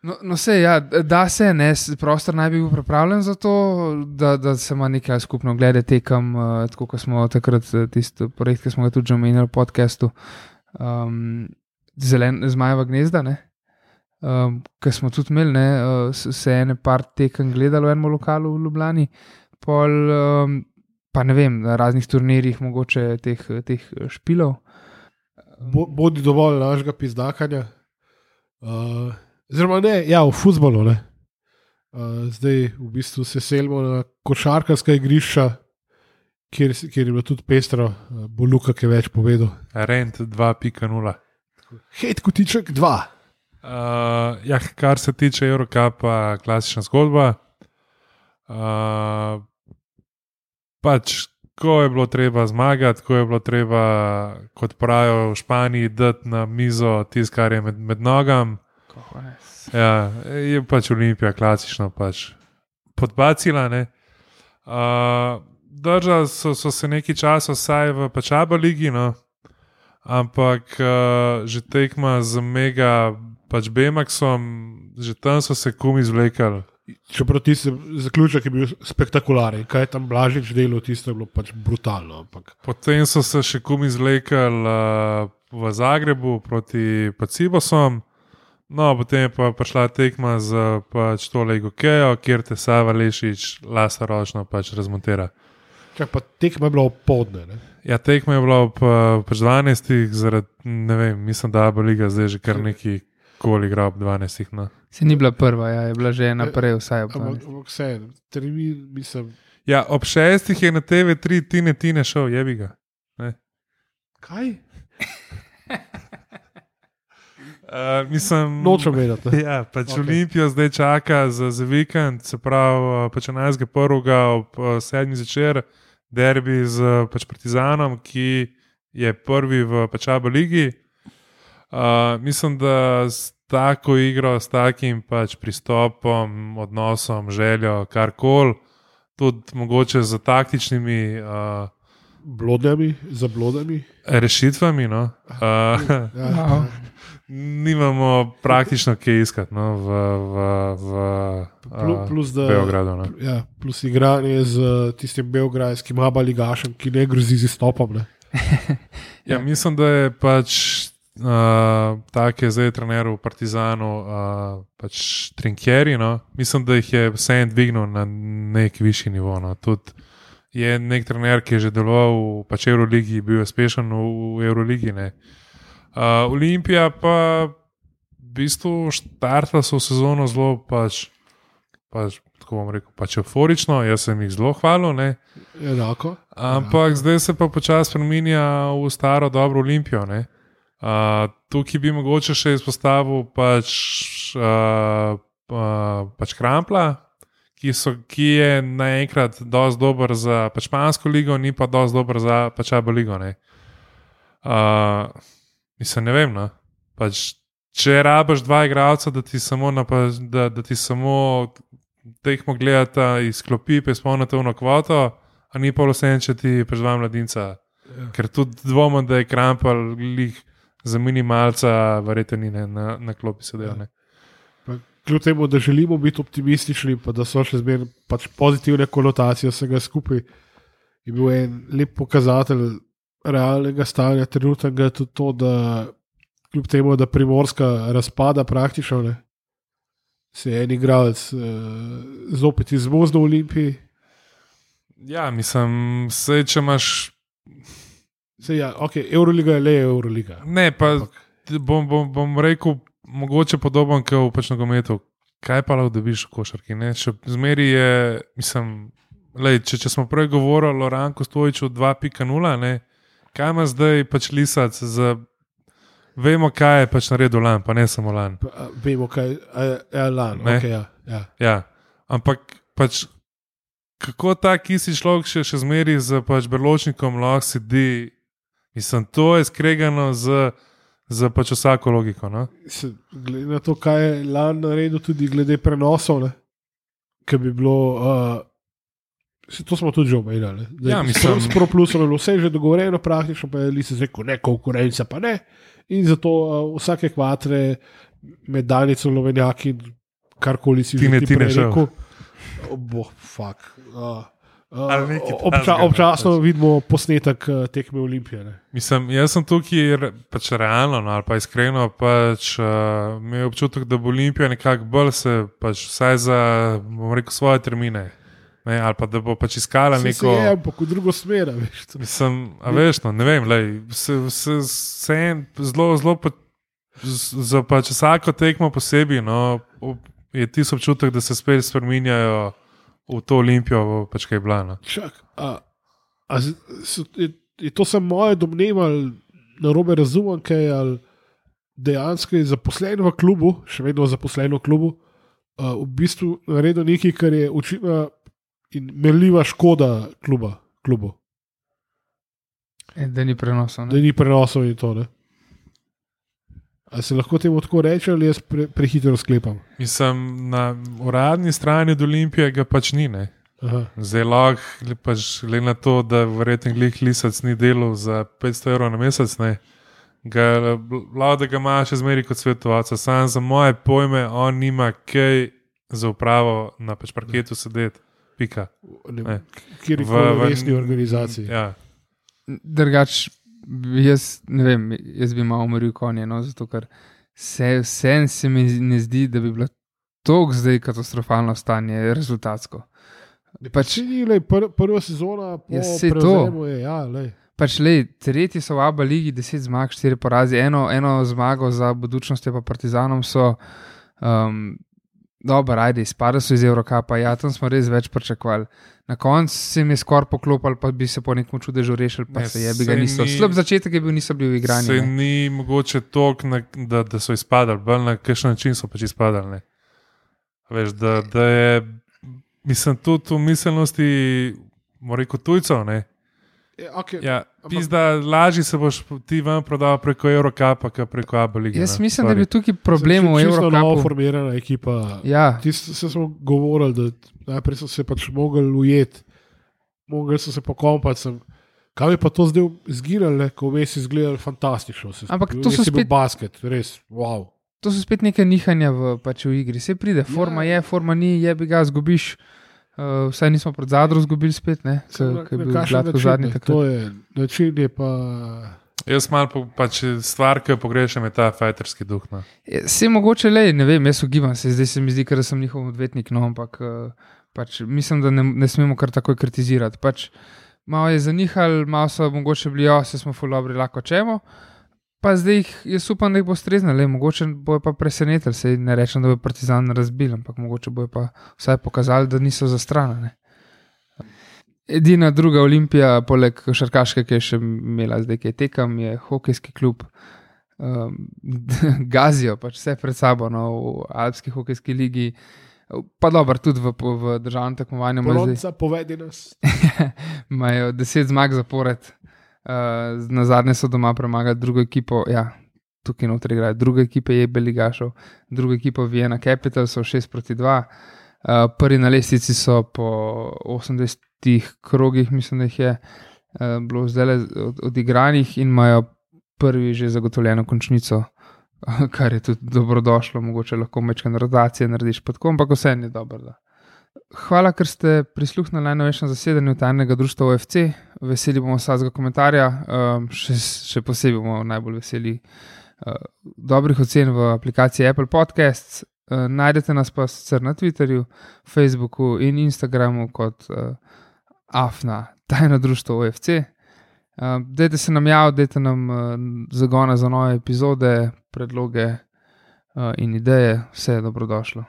No sej, da se, prostor naj bi bil pripravljen za to, da se ima nekaj skupno oglede tekem, tako kot smo takrat tisti projekt, ki smo ga tudi že omenjali v podcastu, Zmajeva gnezda, ki smo tudi imeli, se ene par tekem gledali v enem lokalu v Ljubljani, pol, pa ne vem, na raznih turnirjih mogoče teh špilov. Bodi dovolj našega pizdakanja. Oziroma ne, v fuzbolu. Zdaj v bistvu se selimo na košarkarska igrišča, kjer je bilo tudi pestro, bo Luka kaj več povedal. Rent 2.0. Hejt kotiček 2. Kar se tiče Eurocupa, klasična zgodba. Pač, ko je bilo treba zmagati, ko je bilo treba, kot pravijo v Španiji, dati na mizo tisto, kar je med nogam. Ja, je pač Olimpija klasično pač podbacila. Držali so se nekaj časa vsaj v Pačaba ligi, ampak že tekma z Mega pač Bemaxom, že tam so se kum izvlekali. Čeprav tisti zaključek je bil spektakularen, kaj je tam Blažič delal, tisto je bilo pač brutalno. Ampak. Potem so se še kum izvlekali v Zagrebu proti Cibosom. Potem je pa prišla tekma z pač tole Igokejo, kjer te Sava Lešič lastaročno pač razmontira. Pa tekma je bila opoldne, ne? Ja, tekma je bila pač 12, zaradi, ne vem, mislim, da bo liga zdaj že kar neki koli igra ob 12. Se ni bila prva, je bila že naprej vsaj ob 12. Ampak vse, termin, mislim... Ja, ob 6 je na TV3 Tine šel, jebi ga. Ne? Kaj? Mislim... Nočem vedeti. Ja, pač okay. Olimpijo zdaj čaka za vikend, se pravi, pač 11.1. ob 7. zvečer, derbi z pač Partizanom, ki je prvi v Pačaba ligi. Mislim, da s tako igro, s takim pač pristopom, odnosom, željo, karkoli, tudi mogoče z taktičnimi blodami, rešitvami, nimamo praktično kaj iskati v Beogradu. Ja, plus igranje z tistim beograjskim abaligašem, ki ne grozi z izstopom. Ja, mislim, da je pač tak je zdaj trener v Partizanu, pač Trinkieri, mislim, da jih je vse dvignil na nek višji nivo. Tudi je nek trener, ki je že deloval v pač Euroligi, bil uspešen v Euroligi. Olimpija pa v bistvu štartala so v sezono zelo pač tako bom rekel, pač euforično, jaz sem jih zelo hvalil. Enako. Ampak zdaj se pa počasi spreminja v staro dobro Olimpijo. Tukaj bi mogoče še izpostavil pač Krampla, ki je naenkrat dosti dober za pač špansko ligo, ni pa dosti dober za Pačaba ligo. Mislim, ne vem, pač, če rabaš 2 igralca, da ti samo tekmo gledata iz klopi, pa izpolnite eno kvoto, a ni pa vse, če ti pač 2 mladinca. Ja. Ker tudi dvomim, da je Krampal lih za minimalca, verjetno ni na klopi sedel. Kljub temu, da želimo biti optimistični, pa da so še zmeraj pač pozitivne konotacije vsega skupaj, je bil en lep pokazatelj realnega stanja trenutnega je tudi to, da kljub temu, da Primorska razpada praktično, ne, se je en igralec zopet izvozil v Olimpiji. Ja, mislim, sej, če imaš. Ja, okay, Euroliga je le Euroliga. Ne, pa bom rekel, mogoče podoben kot v pač nogometu. Kaj pa lahko dobiš v košarki? Ne? Še zmeri je, mislim, lej, če smo prej govorili o Ranku Stojiću 2.0, ne, kaj ima zdaj pač Lisac za. Vemo, kaj je pač naredil lan, pa ne samo lan. Vemo, kaj je lan. Okay, ja. Ampak pač, kako tak isti človek še zmeri z pač Berločnikom lahko sedi, mislim, to je skregano z pač vsako logiko. No? Glede na to, kaj je lan naredil, tudi glede prenosov, ki bi bilo. To smo tudi že omenjali. Ja, mislim. S ProPlusom je bilo vse že dogovorjeno, praktično pa je Lisac rekel, ne, konkurenca pa ne. In zato vsake kvatre med Danico, Lovenjaki, karkoli si že ti rekel. Fuck. Občasno vidimo posnetek tekme Olimpije. Ne. Mislim, jaz sem tukaj pač realno, no, ali pa iskreno, pač imel občutek, da bo Olimpija nekako bolj se pač vsaj za, bom rekel, svoje termine. Ne, ali pa da bo pač iskala neko. Se je, ampak v drugo smer. Mislim, veš, no, ne vem, se en zelo za pač vsako tekmo posebej, no, je tisto občutek, da se spet spreminjajo v to Olimpijo, pač kaj je bila. No. Čak, je to samo moje domneva, ali narobe razumem, kaj ali dejansko je zaposlen v klubu, še vedno zaposlen v klubu, v bistvu naredil nekaj, kar je očitno in merljiva škoda klubu. Da ni prenosov. Da ni prenosov in to, ne. Ali se lahko temu tako reče, ali jaz prehitro sklepam? Mislim, na uradni strani od Olimpije ga pač ni, ne. Zdaj lahko pač glede na to, da verjetno Lisac ni delal za 500 € na mesec, ne. Lahko da ga ima še zmeri kot svetovalca. Sam za moje pojme, on nima kaj za upravo na pač parketu sedeti. Pika. Kjer je v resni organizaciji. Ja. Drugač, jaz ne vem, jaz bi malo umoril konje, no, zato ker se mi ne zdi, da bi bilo toliko zdaj katastrofalno stanje rezultatsko. Pač ni, prva sezona po prevzemu je, ja, lej. Pač tretji so v ABA ligi, 10 zmag, 4 porazi, eno zmago za Budućnost pa Partizanom so dobro, ajde, izpadli so iz Eurokapa, ja, tam smo res več pričakovali. Na koncu se mi je skoraj poklopili, pa bi se po nekom čudežu rešili, pa se je bi ga niso. Slab začetek je bil, niso bili v igranju. Se ni mogoče toliko, da so izpadali, bolj na kakšen način so pač izpadali. Ne. Veš, da je, mislim, tudi v miselnosti, moram reči, tujcev, ne. Okay. Ja, pizda, lažje se boš ti vam prodal preko Eurokapa, kot preko ABA lige. Jaz mislim, da je bil tukaj problem v Eurokapu. Čisto novo formirana ekipa. Ja. Se smo govorili, da najprej so se pač mogli ujeti, mogli so se pokompati. Kaj je pa to zdaj izgirali, ko vmes izgledali fantastično. Ampak to so spet basket, res, wow. To so spet neke nihanja v igri. Se pride, forma je, forma ni, je bi ga zgubiš. Vsaj nismo pred Zadrom zgubili spet, ne? Kaj je bil gladko zadnji takrat. To je, način je pa. Jaz malo pač stvar, ki jo pogrešam, je ta fajterski duh. No. Se mogoče ne vem, jaz ugibam se, zdaj se mi zdi, ker sem njihov odvetnik, no, ampak pač mislim, da ne smemo kar takoj kritizirati. Pač malo je zanihal, malo so mogoče bili, se smo ful dobri, lahko čemo. Pa zdaj jaz upam, da jih bo strezno, mogoče bojo pa presenetili, se ne rečem, da bo Partizan razbil, ampak mogoče bojo pa vsaj pokazali, da niso za stran. Ne. Edina druga Olimpija, poleg košarkaške, ki je še imela zdaj, ki je tekam, je hokejski klub. Gazijo pač vse pred sabo, no, v Alpski hokejski ligi, pa dobro, tudi v državnem tekmovanju. Polonca, povedi nas. Imajo 10 zmag zapored. Na zadnje so doma premagali drugo ekipo, ja, tukaj notri igrajo, druga ekipa je Beligašov, druga ekipa Vienna Capital so 6-2, prvi na lestvici so po 80 krogih, mislim, da jih je bilo zdaj odigranih in imajo prvi že zagotovljeno končnico, kar je tudi dobrodošlo, mogoče lahko mečke rotacije narediš pa tako, ampak vse je dobro, Hvala, ker ste prisluhnili najnovejšem zasedanju Tajnega društva OFC. Veseli bomo vsakega komentarja, še posebej bomo najbolj veseli dobrih ocen v aplikaciji Apple Podcasts. Najdete nas pa sicer na Twitterju, Facebooku in Instagramu kot AFNA Tajno društvo OFC. Dajte se nam javiti, dajte nam zagone za nove epizode, predloge in ideje, vse je dobrodošlo.